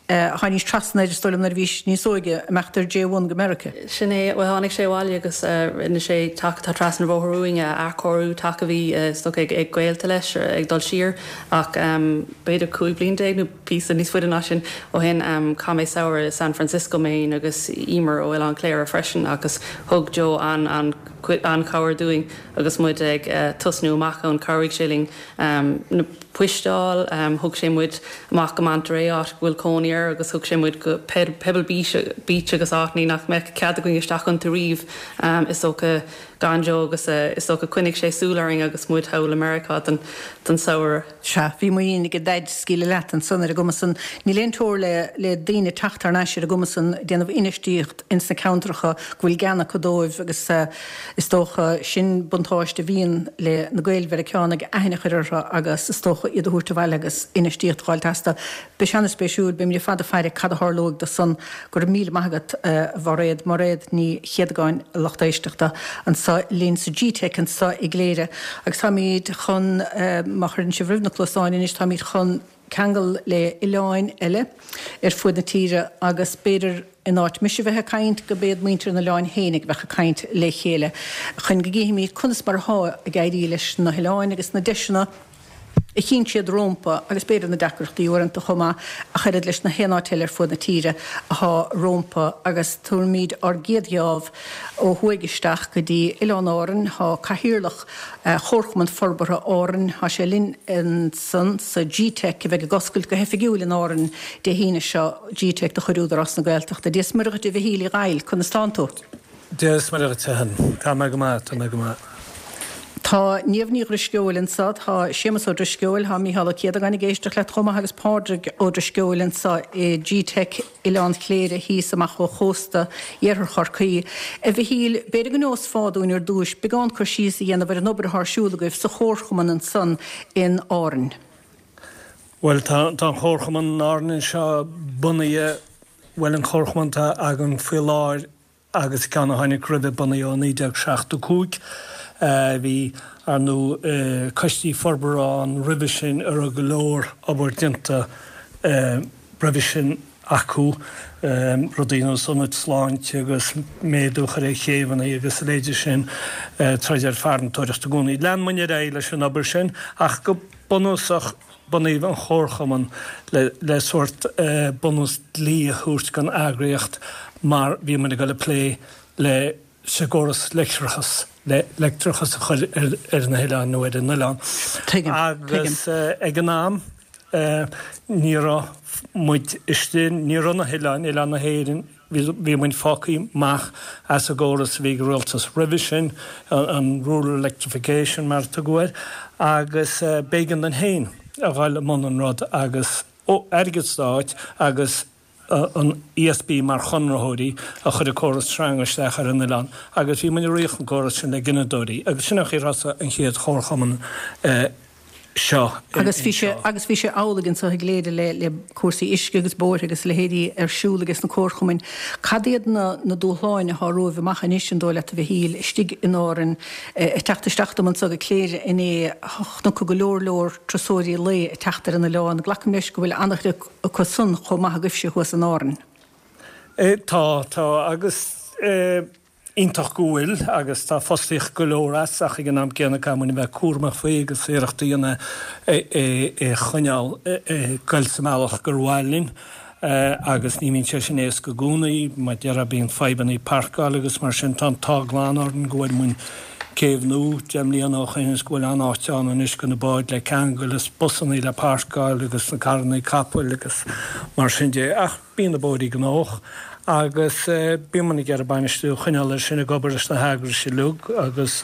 tháinís trasna air, is dóigh liom, nuair a bhís níos óige, ag imeacht ar J one go Meiriceá. Sin é, bhuel tháinig sé abhaile agus rinne sé teach atá trasna an bhóthair uainn a athchóiriú, teach a bhí is dócha ag gaolta leis ag dul siar ach b'fhéidir cúig bliain déag nó píosa níos faide ná sin ó shin chaith mé samhradh i San Francisco mé fhéin agus Emer ó Oileán Chléire freisin agus thug Joe an-chabhair dúinn agus muid ag tosnú amach ann. Chabhraigh sé linn na poist a fháil, thug sé muid amach go Monterey áit go bhfuil cónaí air agus thug sé muid go Pebble Beach agus áiteanna nach mbeadh cead againn isteach iontu riamh is dócha. gan Joe agus is dócha coinneoidh sé súil orainn agus muid thall i Meiriceá don don samhradh. Sea, bhí muinín ag Daid scaoileadh leat ansan ar an gcuma san. Níl aon teora le le daoine teacht thar n-ais ar an gcuma san déanamh infheistíocht ins na ceantracha go bhfuil gean acu dóibh agus is dócha sin buntáiste a bhíonn le na Gael-Mheiriceánaigh aithne a chur orthu agus is dócha iad a thabhairt abhaile agus infheistíocht a fháil astu. Beidh sé an-spéisiúil, beimid ar fad ag faire cad a tharlóidh do san. Go raibh míle maith agat a Mhairéad, Mairéad Ní Chéadagáin, a lucht éisteachta, anseo linn sa G-Teic anseo i gCléire. Agus táimid chun, má chuireann sibh roimh na cluasáin anois, táimid chun ceangal le oileáin eile ar fuaid na tíre agus b'fhéidir in áit mise bheith ag caint go b'iad muintir na n-oileán féinig a bheadh ag caint le chéile chun go gcífimid conas mar athá ag éirí leis na hoileáin agus na deiseanna a chíonn siad rómpa agus b'fhéidir na deacrachtaí uaireanta chomh maith ach oiread leis na haon áit eile ar fuaid na tíre athá rómpa agus tabharfaimid ár gcéad gheábh ó thuaidh isteach go dtí Oileán Árainn. Thá Cathaoirleach Chomharchumann Forbartha Árainn, thá sé linn ansan sa G-Teic a bheidh ag oscailt go hoifigiúil in Árainn Dé hAoine seo, G-Teic de chuid Údarás na Gaeltachta. Dia 's Muire dhuit a Mhichíl Uí Dhaill, conas tánn tú? Dia 's Muire dhuit a Helen. Tá mé go maith, tá mé go maith. Tá Niamh Ní Dhrisceoil anseo, tá Séamus Ó Drisceoil, tá Mícheál Ó Céadagáin ag éisteacht leat chomh maith agus Pádraig Ó Drisceoil anseo i G-Teic Oileán Chléire thíos amach ó chósta iarthar Chorcaí. A Mhichíl, b'fhéidir go neosfá dúinn ar dtúis beagán cur síos a dhéanamh ar an obair atá ar siúl agaibh sa chomharchumann ansan in Árainn. Bhuel, tá an chomharchumann in Árainn anseo bunaithe, bhuel an chomharchumann atá againn faoi láthair, agus ceann a tháinig roimhe bunaithe ó naoi déag seachtó cúig. Bhí, ar ndóigh, coistí forbartha ann roimhe sin a raibh go leor obair déanta roimhe sin acu, rudaí ar nós ionaid sláinte agus méadú a chur ar chéibheanna agus a leithéide sin, troid ar farantóireacht i gcónaí. Lean muid ar aghaidh leis an obair sin ach go bunúsach, Bunaíodh an Chomharchumann le sórt bunús dlí a thabhairt don eagraíocht mar bhí muid ag dul ag plé le sa gcóras leictreachas, le leictreachas a chur ar na hoileáin nó ar an oileán. Tuigim, tuigim. Agus ag an am ní raibh muid istigh, ní raibh na hoileáin, oileán na hÉireann, Bhí muid fágtha amach as an gcóras a bhí ag an rialtas roimhe sin, an Rural Electrification mar a tugadh air, agus b'éigean dúinn féin a dhul i mbun an rud agus airgead stáit agus an ESB mar chonraitheoirí a chuir an córas sreanga isteach ar an oileán agus bhí muid ag ritheadh an córas sin le gineadóirí agus sin an chaoi ar thosaigh an chéad chomharchumann seo Agus bhí sé agus bhí sé amhlaidh anseo i gCléire le le cúrsaí uisce agus bóithre agus a leithéidí ar siúl ages na comharchumainn. Cad iad na na dúshláin athá romhaibh amach anois an dóigh leat a Mhichíl, istigh in Árainn, ag teacht isteach dom anseo go Cléire inné chonac go leor leor turasóirí lae ag teacht ar an oileán. Glacaim leis go bhfuil an-chuid acu san chomh maith agaibhse thuas in Árainn. Tá, tá agus eh. Iontach go bhfuil, agus tá fostaíocht go leor as, ach ag an am céanna caithfidh muid a bheith cúramach faoi agus iarracht a dhéanamh é a choinneáil ag goil sa mbealach gur mhaith linn agus ní bhíonn sé sin éasca i gcónaí. Mar a déarfá bíonn fadhbanna páirceála agus mar sin. Tá an t-ádh glan orainn go bhfuair muid céibh nua deich mbliana ó shoin is go bhfuil an-áit ann anois do na báid le ceangal is busannaí le páirceáil agus na carrannaí capaill agus mar sin de. Ach bíonn na bóithrí gnóthach. Agus bíonn muid ag iarraidh bainistiú a choinneáil air sin ag obair leis na heagrais uilig agus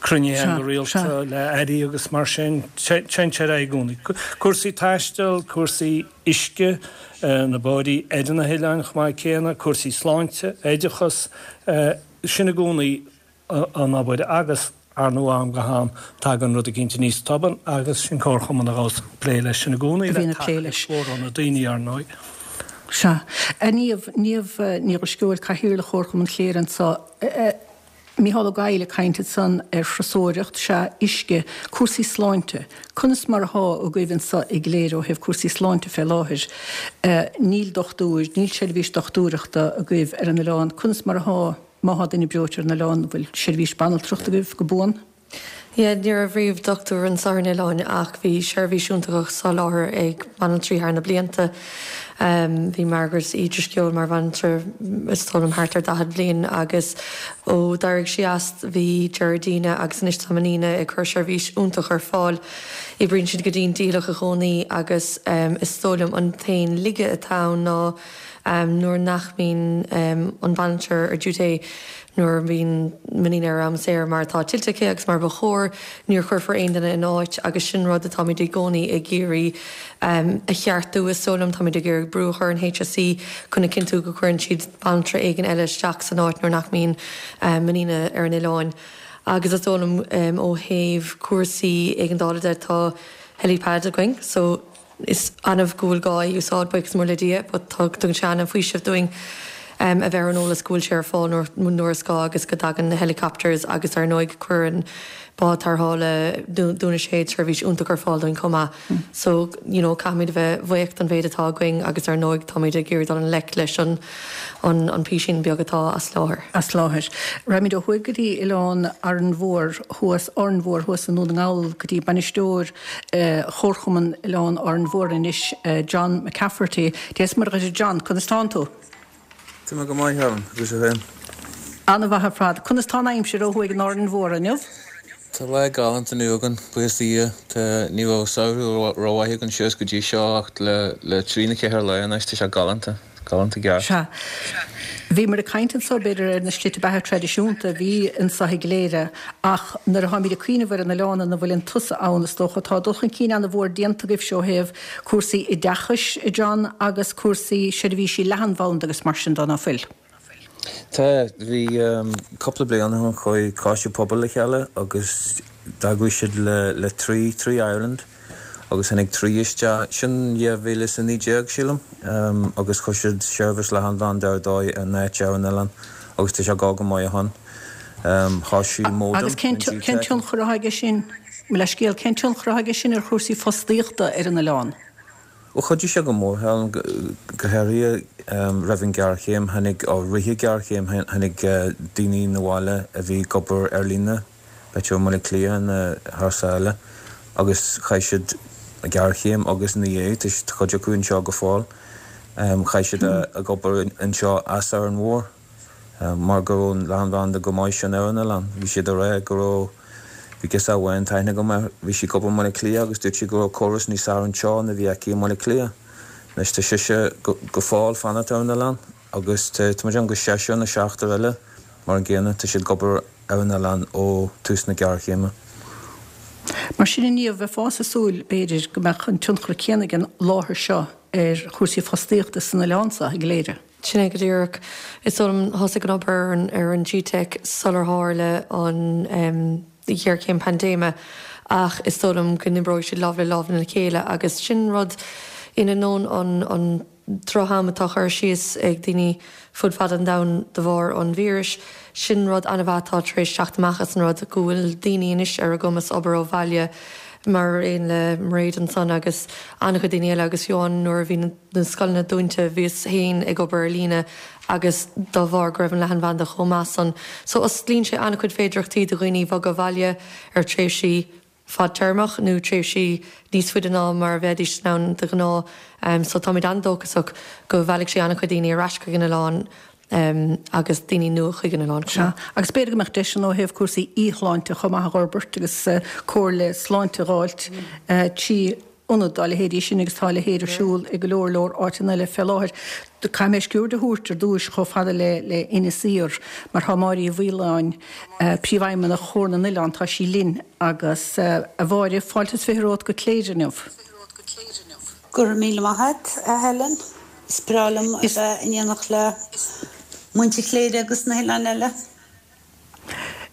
cruinnithe go rialta le airí agus mar sin. Téann sé ar aghaidh i gcónaí. Cúrsaí taistil, cúrsaí uisce, na bóithrí ar na hoileáin chomh maith céanna, cúrsaí sláinte, oideachas, sin i gcónaí. an obair agus, ar ndóigh, ó am go ham tagann rud eicínt aníos tobann agus sin comharchumann a ghabhas ag plé leis sin i gcónaí, a le bhíonn ag plé tacaíocht leis. mhór ó na daoine, ar ndóigh. Sea. A Niamh, Niamh Ní Dhrisceoil, Cathaoirleach Chomharchumann Chléire anseo. Mícheál Ó Gabhla ag caint ansan ar thurasóireacht, sea, uisce, cúrsaí sláinte. Conas mar athá agaibh anso i gCléire ó thaobh cúrsaí sláinte fé láthair? Níl dochtúir, níl seirbhís dochtúireachta agaibh ar an oileán. Conas mar athá? Má thá duine breoite ar an oileán, an bhfuil seirbhís banaltrachta agaibh go buan? Yeah, ní raibh riamh dochtúir anseo ar an oileán ach bhí seirbhís iontach á soláthar ag banaltraí thar na blianta. Bhí Margaret Uí Drisceoil mar bhanaltra is dóigh liom thart ar daichead bliain agus ó d'éirigh sí as bhí Gerardina agus anois tá Menina ag cur seirbhís iontach ar fáil. Oibríonn siad go dian dícheallach i gcónaí agus is dóigh liom an t-aon laige atá ann ná nuair nach mbíonn an bhanaltra ar duty nuair a bhíonn Menina ar am saor mar atá tuillte aici agus mar ba chóir, ní chuirfear aon duine ina áit agus sin rud atáimid i gcónaí ag iarraidh a cheartú is dóigh liom. Táimid ag iarraidh brú a chur ar an HSE chun a chinntiú go gcuireann siad banaltra éigin eile isteach san áit nuair nach mbíonn Menina ar an oileán. Agus is dóigh liom ó thaobh cúrsaí éigeandála de tá helipad againn so is annamh go bhfuil gá é a úsáid, buíochas mór le Dia, but tugann sé an-fhaoiseamh dúinn a bheith ar an eolas go bhfuil sé ar fáil nuair is gá agus go dtagann na helicopters agus ar ndóigh cuireann bád tarrthála Dún na Séad seirbhís iontach ar fáil dúinn chomh maith. So, you know, caithfimid a bheith bhuíoch don mhéid atá againn agus ar ndóigh táimid ag iarraidh dul i ngleic leis an an an písín beag atá as láthair. As láthair. Raghaimid ó thuaidh go dtí Oileán Árainn Mhór thuas, Árainn Mhór thuas i nDún na nGall go dtí bainisteoir Chomharchumann Oileán Árainn Mhór anois, John McCafferty. Dia is Muire dhuit a John, conas tánn tú? Tá mé go maith, Helen, agus tú féin? An-mhaith ar fad. Conas tá an aimsir ó thuaidh in Árainn Mhór inniu? Tá lá galánta inniu againn, buíochas do Dhia. Tá, ní raibh samhradh rómhaith againn suas go dtí seo ach le, le trí nó ceithre lá anois tá sé galánta, galánta i gceart. Sea. Bhíomar ag caint anso b'fhéidir ar na slite beatha traidisiúnta a bhí anso i gCléire ach nuair atáimid ag cuimhneamh ar an oileán ina bhfuileann tusa ann is dócha tá dul chun cinn an-mhór déanta agaibhse ó thaobh cúrsaí oideachais, a John, agus cúrsaí seirbhísí leathanbhanda agus mar sin de, ná fuil? Tá. Bhí cúpla bliain ó shin chuaigh coiste pobail le chéile agus d'eagraigh siad le le Three, Three Ireland agus tháinig Three isteach, sin dhá mhíle is a naoi déag sílim, agus chuir siad seirbhís leathanbhanda ar dóigh in áit ar an oileán agus tá sé ag dul go maith ó shin. Thosaigh modem Agus cén cén tionchar atá aige sin, mo leithscéal, cén tionchar atá aige sin ar chúrsaí fostaíochta ar an oileán? Bhuel, chuidigh sé go mór, Helen, go háirithe roimh an ghéarchéim, tháinig, ó rith an ghéarchéim, tháinig daoine 'na bhaile a bhí ag obair ar líne, b'fhéidir i mBaile Átha Cliath nó thar sáile, agus chaith siad an ghéarchéim agus ina dhiaidh, tá cuid acu anseo go fóill, chaith siad ag obair anseo as Árainn Mhór. Mar go raibh an leathanbhanda go maith sin ar an oileán. Bhí siad ag rá go raibh, bhí girseach amháin tá aithne agam uirthi, bhí sí ag obair i mBaile Átha Cliath agus dúirt sí go raibh córas níos fearr anseo ná bhí aici i mBaile Átha Cliath. Anois tá sise go fóill fanacht ar an oileán agus tá, tá muid ann go seisear nó seachtar eile mar an gcéanna, tá siad ag obair ar an oileán ó tús na géarchéime. Mar sin inniu, bheifeása ag súil, b'fhéidir, go mbeadh an tionchar céanna ag an láthair seo ar chúrsaí fostaíochta san oileán seo i gCléire. Sin é go díreach. Is dóigh liom, thosaigh an obair ar an G-Teic sular tharla an ghéarchéim paindéime ach is dóigh liom go n-oibreoidh siad lámh le lámh lena chéile agus sin rud in ainneoin an droch-am atá curtha síos ag daoine fud fad an domhain de bharr an víris, sin rud an-mhaith atá tar éis teacht amach as an rud, go bhfuil daoine anois ar a gcumas obair ó bhaile mar aon le Mairéad ansan agus an-chuid daoine eile agus fiú amháin nuair a bhí na scoileanna dúnta bhíos féin ag obair ar líne agus dá bharr go raibh an leathanbhanda chomh maith san. So osclaíonn sé an-chuid féidearthachtaí do dhaoine bhogadh abhaile ar tréimhsí fadtéarmach nó tréimhsí níos faide ná mar a bheidís in ann de ghnáth. So táimid an-dóchasach go mheallfaidh sé an-chuid daoine ar ais chuig an oileán agus daoine nua chuig an oileán chomh Sea, maith. agus b'fhéidir go mbeadh deiseanna ó thaobh cúrsaí íocshláinte chomh maith a dh'fhorbairt agus comhairle sláinte a dh'fháilt trí ionad dá leithéidí sin agus tá a leithéid ar siúl i go leor leor áiteanna eile fé láthair. Caithfidh mé sciuird a thabhairt ar dtúis chomh fada le le Inis Oírr mar tá Máire Uí Mhaoláin, Príomhfheidhmeannach Chomhar na nOileán, tá sí linn agus, a Mháire, fáilte is fiche romhat go Cléire inniu. Go raibh míle maith agat, a Helen. Is breá liom a bheith in éineacht le muintir Chléire agus na hoileáin eile.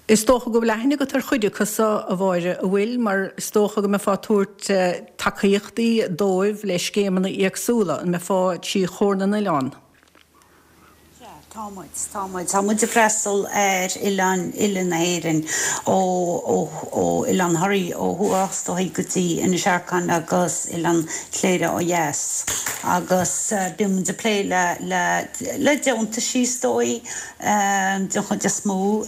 Is dócha go bhfuil aithne agat ar chuid acu so, a Mháire, a bhfuil? Mar is dócha go mbeifeá ag tabhairt tacaíochtaí dóibh le scéimeanna éagsúla, an mbeifeá trí Chomhar na nOileán? Sea, tá muid, tá muid. Tá muid ag freastal ar oileáin uile na hÉireann, ó, ó, ó Oileán Thoraí ó thuaidh is dóigh go dtí Inis Arcáin agus Oileán Chléire ó dheas. Agus bíonn muid ag plé le, le, le deontaisí is dóigh, den chuid is mó,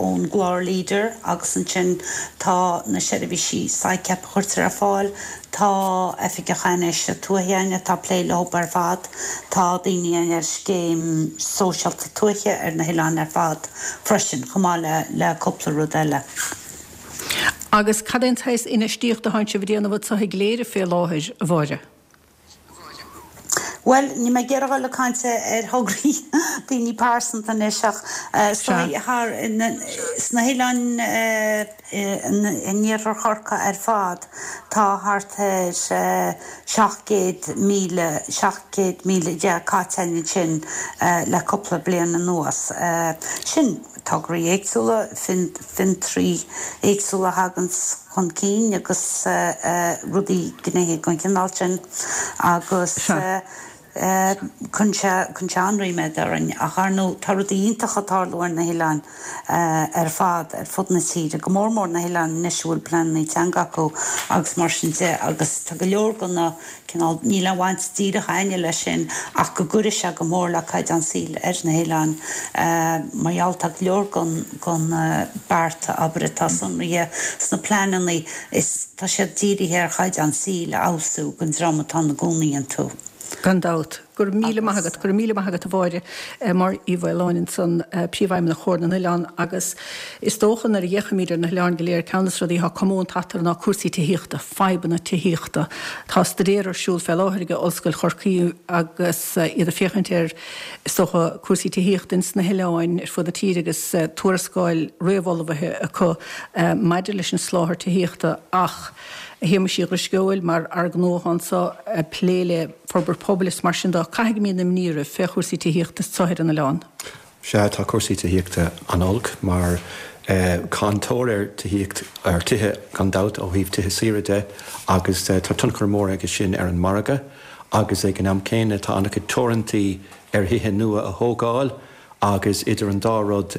ón gclár Leader agus ansin tá na seirbhísí SICAP a chuirtear ar fáil, Tá oifigeach infheistíochta tuaithe againn atá ag plé leo ar fad. Tá daoine againn ar scéim sóisialta tuaithe ar na hoileáin ar fad freisin, chomh maith le le cúpla rud eile. Agus cad é an saghas infheistíochta atánn sibh a déanamh anseo i gCléire fé láthair, a Mháire? Bhuel, níl mé ag iarraidh a dhul ag caint ar thograí daoine pearsanta anois ach thar sna hoileáin in iarthar Chorcaí ar fad tá thart ar seacht gcéad míle, seacht gcéad míle déag caite ansin le cúpla bliain anuas. Sin tograí éagsúla, fiontraí éagsúla a thagann chun cinn agus rudaí gnéithe den chineál sin agus cuireann sé cuireann sé an-ríméad orainn. Ach ar ndóigh tá rudaí iontacha ag tarlú ar na hoileáin ar fad ar fud na tíre, go mór mór na hoileáin anois a bhfuil pleananna teanga acu agus mar sin de agus tá go leor de na cineál, níl aon bhaint díreach againne leis sin ach go gcuirfidh sé go mór le caighdeán saoil ar na hoileáin mar gheall tá go leor den den bearta oibre atá sonraithe sna pleananna is tá siad dírithe ar chaighdeán saoil a fheabhsú don dream atá ina gcónaí iontu. Gan dabht. Go raibh míle maith agat, go raibh míle maith agat a Mháire, Máire Uí Mhaoláin ansan, Príomhfheidhmeannach Chomhar na nOileán agus is dócha nuair a fhéachaimid ar na hoileáin go léir ceann de na rudaí atá comónta eatarthu ná cúrsaí tithíochta, fadhbanna tithíochta. Tá staidéar ar siúl fé láthair ag Ollscoil Chorcaí agus iad ag féachaint ar is dócha cúrsaí tithíochta ins na hoileáin ar fud na tíre agus tuarascáil réamhullmhaithe acu maidir leis an soláthar tithíochta ach a Shéamuis Uí Dhrisceoil, mar fhear gnó atá anso ag plé le forbairt pobail is mar sin de, caithfidh go mbíonn imní oraibh fé chúrsaí tithíochta anso ar an oileán. Sea, tá cúrsaí tithíochta an-olc mar tá an tóir ar tithíocht, ar tithe gan dabht ó thaobh tithe saoire de agus tá tionchar mór aige sin ar an margadh agus ag an am céanna tá an-chuid teorantaí ar thithe nua a thógáil agus idir an dá rud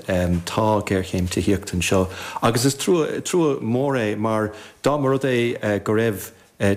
tá géarchéim tithíochta anseo agus is trua, trua mór é mar dá mba rud é go raibh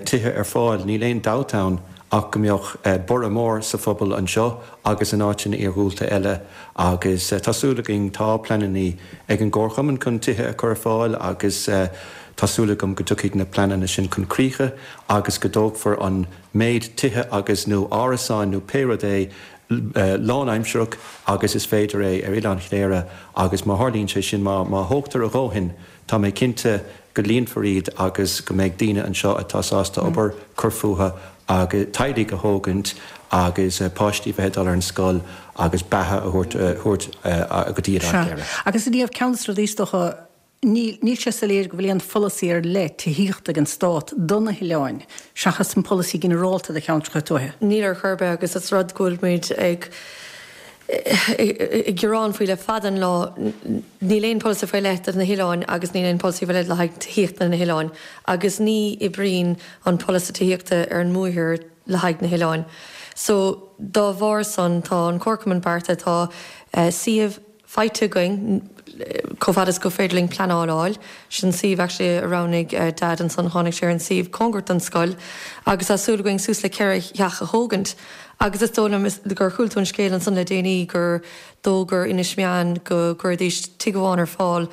tithe ar fáil níl aon dabht ann ach go mbeadh borradh mór sa phobal anseo agus in áiteanna iarghúlta eile agus tá súil againn, tá pleananna ag an gComharchumann chun tithe a chur ar fáil agus tá súil agam go dtiocfaidh na pleananna sin chun críche agus go dtógfar an méid tithe agus nó árasáin nó pé rud é lánaimsearach agus is féidir é ar Oileán Chléire agus má tharlaíonn sé sin, má má thógtar a dhóthain, tá mé cinnte go líonfar iad agus go mbeidh daoine anseo atá sásta obair, cur fúthu agus teaghlaigh a thógaint agus páistí bheith ag dul ar an scoil agus beatha a thabhairt thabhairt go dtí Oileán Sea. Chléire. Agus a Niamh, ceann de na rudaí is dócha, Níl, níl sé soiléir go bhfuil aon pholasaí ar leith tithíochta ag an Stát do na hoileáin, seachas an polasaí ginearálta do cheantracha tuaithe. Níl ar chor ar bith agus is rud go bhfuil muid ag ag gearán faoi le fada an lá. Níl aon pholasaí faoi leith do na hoileáin agus níl aon pholasaí faoi leith le haghaidh tithíochta na hoileáin agus ní oibríonn an polasaí tithíochta ar an mbuaidh le haghaidh na hoileáin. So dá bharr san tá an Comharchumann beartaithe, tá suíomh faighte againn chomh fada is gur féidir linn pleanáil a fháil. Sin suíomh actually a roghnaigh Dad ansan, tháinig sé ar an suíomh cóngarach don scoil agus tá súil againn suas le ceithre theach a thógaint. Agus is dóigh liom gur chuala tú an scéal ansan le déanaí gur d'fhógair Inis Meáin go gcuirfidís tigh amháin ar fáil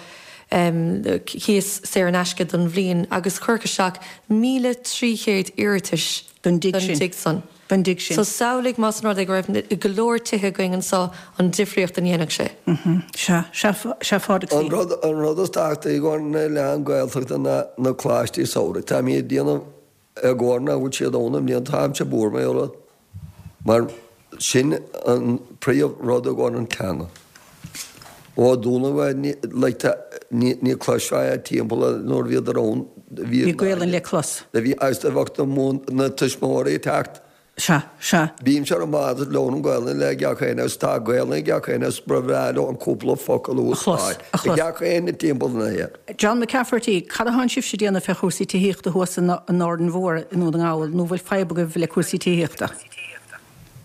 cíos saor in aisce don bhliain agus cuireadh isteach míle trí chéad iarratais don dtigh don dtigh san. Don dtigh sin. So samhlaigh más an rud é go raibh go leor tithe againn anso an difríocht a ndéanfadh sé. Sea, sea, sea Phádraig An rud, an rud is tábhachtaí i gcomhair na n-oileán Gaeltachta ná na coláistí samhraidh. Táimid ag déanamh i gcomhair nach bhfuil siad ann i mbliana, táimse buartha mar gheall air. Mar sin an príomh rud i gcomhair an teanga. Ó dúnadh é ní like tá ní ní cloisfeá é timpeall nuair a bhíodar ann bhí Bhí Gaolainn le clos. bhí agus do bheadh na mún na tuismitheoirí ag teacht. Sea, sea. Bímse ar an mbád is labhraím Gaolainn le gach éinne agus tá Gaolainn ag gach éinne agus ba bhreá leo an cúpla focal a A chlos, úsáid a ag chlos. gach éinne timpeall na héireann. John McCafferty, cad atánn sibhse a déanamh fé chúrsaí tithíochta thuas in in Árainn Mhór i nDún na nGall, nó bhfuil fadhb agaibh le cúrsaí tithíochta?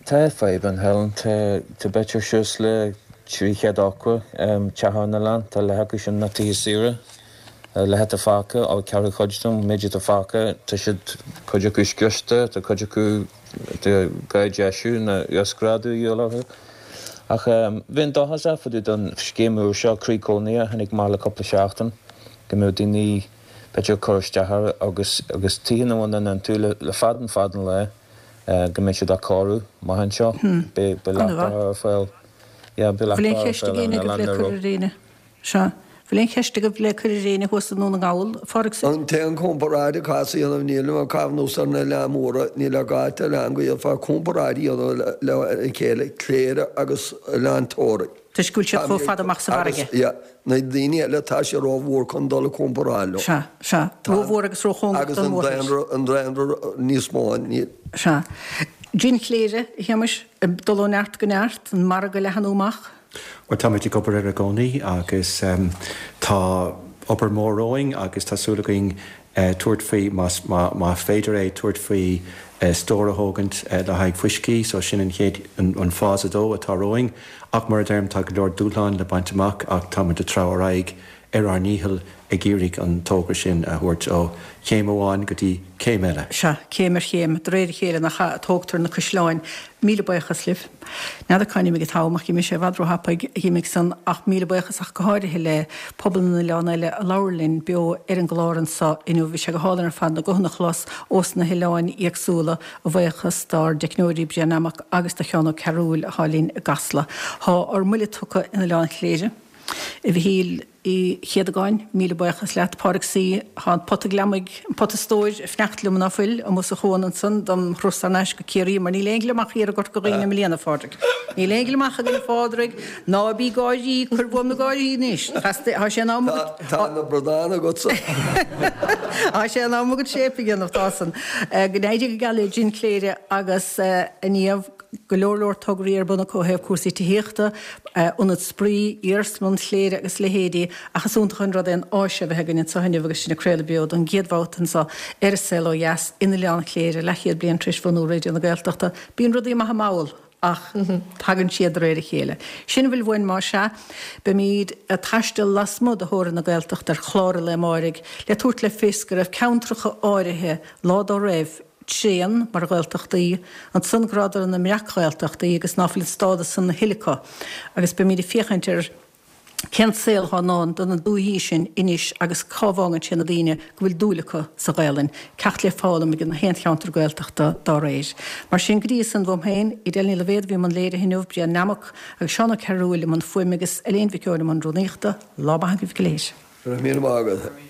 Tá fadhb ann, Helen. Tá b'fhéidir suas le trí chéad ochtó teach ar an oileán. Tá leath acu sin ina tithe saoire. Leath atá fágtha, ó ceathrú cuid den méid atá fágtha, tá siad, cuid acu scriosta, tá cuid acu tá gá deisiú nó uasghrádú a dhíobháil orthu. Ach bheinn dóchasach fá dtaobh den scéim úr seo, Croí Cónaithe, a tháinig amach le cúpla seachtain, go mbeadh daoine b'fhéidir ag cur isteach air agus agus tithe nach bhfuil iontu le fada an fada an lá. go mbeidh siad á cóiriú amach anseo. Beidh An-mhaith. leachtaithe ar fáil. Yeah, beidh Bhfuil aon leachtaithe ar cheist fáil ag ar an éinne agaibh oileán le le cur ró. ar éinne? Sea. Bhfuil aon cheist agaibh le cur ar éinne thuas i nDún na nGall, a Phádraig? An t-aon comparáid a caithfeas a dhéanamh níl ag caitheamh anuas ar na oileáin mhóra, níl ag áit oileán go dhéanfá comparáid a dhéanamh le chéile, Cléire agus Oileán Toraigh. Toisc go bhfuil siad chomh fada amach sa bhfarraige. Agus, yeah, na daoine eile tá sé rómhór chun dul ag comparáil leo. Sea, sea. Rómhór agus róchóngarach don mhórthír. Agus an daonra, an daonra níos mó, níl. Sea. Gin Chléire, a Shéamais, ag dul ó neart go neart, an margadh ag leathnú amach. Bhuel, táimid ag obair air i gcónaí agus tá obair mhór romhainn agus tá súil againn tabhairt faoi, más féidir é, tabhairt faoi stór a thógaint le haghaidh fuiscí, so sin an chéad, an phase a dó atá romhainn. Ach mar a deirim, tá go leor dúshláin le baint amach ach táimid ag treabhadh ar aghaidh ar ár ndícheall ag iarraidh an togra sin a thabhairt ó chéim amháin go dtí céim eile. Sea, céim ar chéim, de réir a chéile nach ea, a tógtar na caisleáin. Míle buíochas libh. N'fheadar cá n-imigh an t-am ach d'imigh sé i bhfad róthapaidh, d'imigh san, ach míle buíochas ach go háirithe le pobal na n-oileán eile a labhair linn beo ar an gclár anso inniu. Bhí sé go hálainn ar fad na guthanna a chlos ós na hoileáin éagsúla, a bhuíochas dár dteicneoirí Brian Nammock agus do Sheán Ó Cearúil athá linn i gCasla. Thá ár mbuille tugtha in Oileán Chléire. A Mhichíl Uí Chéadagáin, míle buíochas leat. Pádraig Sea, thá an pota gliomaigh, an pota stóir, ag fanacht liom ná fuil, amuigh sa chuan ansan dom thuras thar n-ais go Ciarraí, mar níl aon gliomach thiar i gCorca Dhuibhne i mbliana, a Phádraig. Níl aon gliomach againn, a Phádraig, ná bí gáirí, cuir uaim na gáirí anois. Tá sé in am agat. Tá na bradáin agatsa. Tá sé in am agat séip a dhéanamh, tá san. Go n-éirí go geal le Gin Chléire agus a Niamh. go leor leor tograí ar bun acu ó thaobh cúrsaí tithíochta, ionad spraoi, iarsmalann Chléire agus a leithéidí ach is iontach an rud é an áis a bheith againn anseo inniu agus sinn ag craoladh beo don gcéad bhabhta anseo ar An Saol Ó Dheas in Oileán Chléire, leathchéad bliain tar éis bhunú Raidió na Gaeltachta. Bíonn rudaí maith mall ach tagann siad de réir a chéile. Sin a bhfuil uainn más ea. Beimid ag taisteal lasmuigh de theorainn na Gaeltachta ar chlár an lae amáirigh le tabhairt le fios go raibh ceantracha áirithe lá dá raibh, tréan mar Ghaeltachtaí, ansan go rabhadar ina mbreac-Ghaeltachtaí agus ná fuil an stádas san a thuilleadh acu agus beimid ag féachaint ar cén saol atá i ndán do na dúichí sin anois agus cá bhfágann sé na daoine go bhfuil dúil acu sa Ghaelainn, ceacht le foghlaim ag na haon cheantar Gaeltachta dá réir. Mar sin, go dtí san, uaim féin, Edel Ní Loibhéad a bhí i mbun léirithe inniu, Brian Nammock agus Seán Ó Cearúil i mbun fuaime agus Elaine Mhic Eoin i mbun rúnaíochta, lá maith agaibh go léir. Go raibh míle maith agat.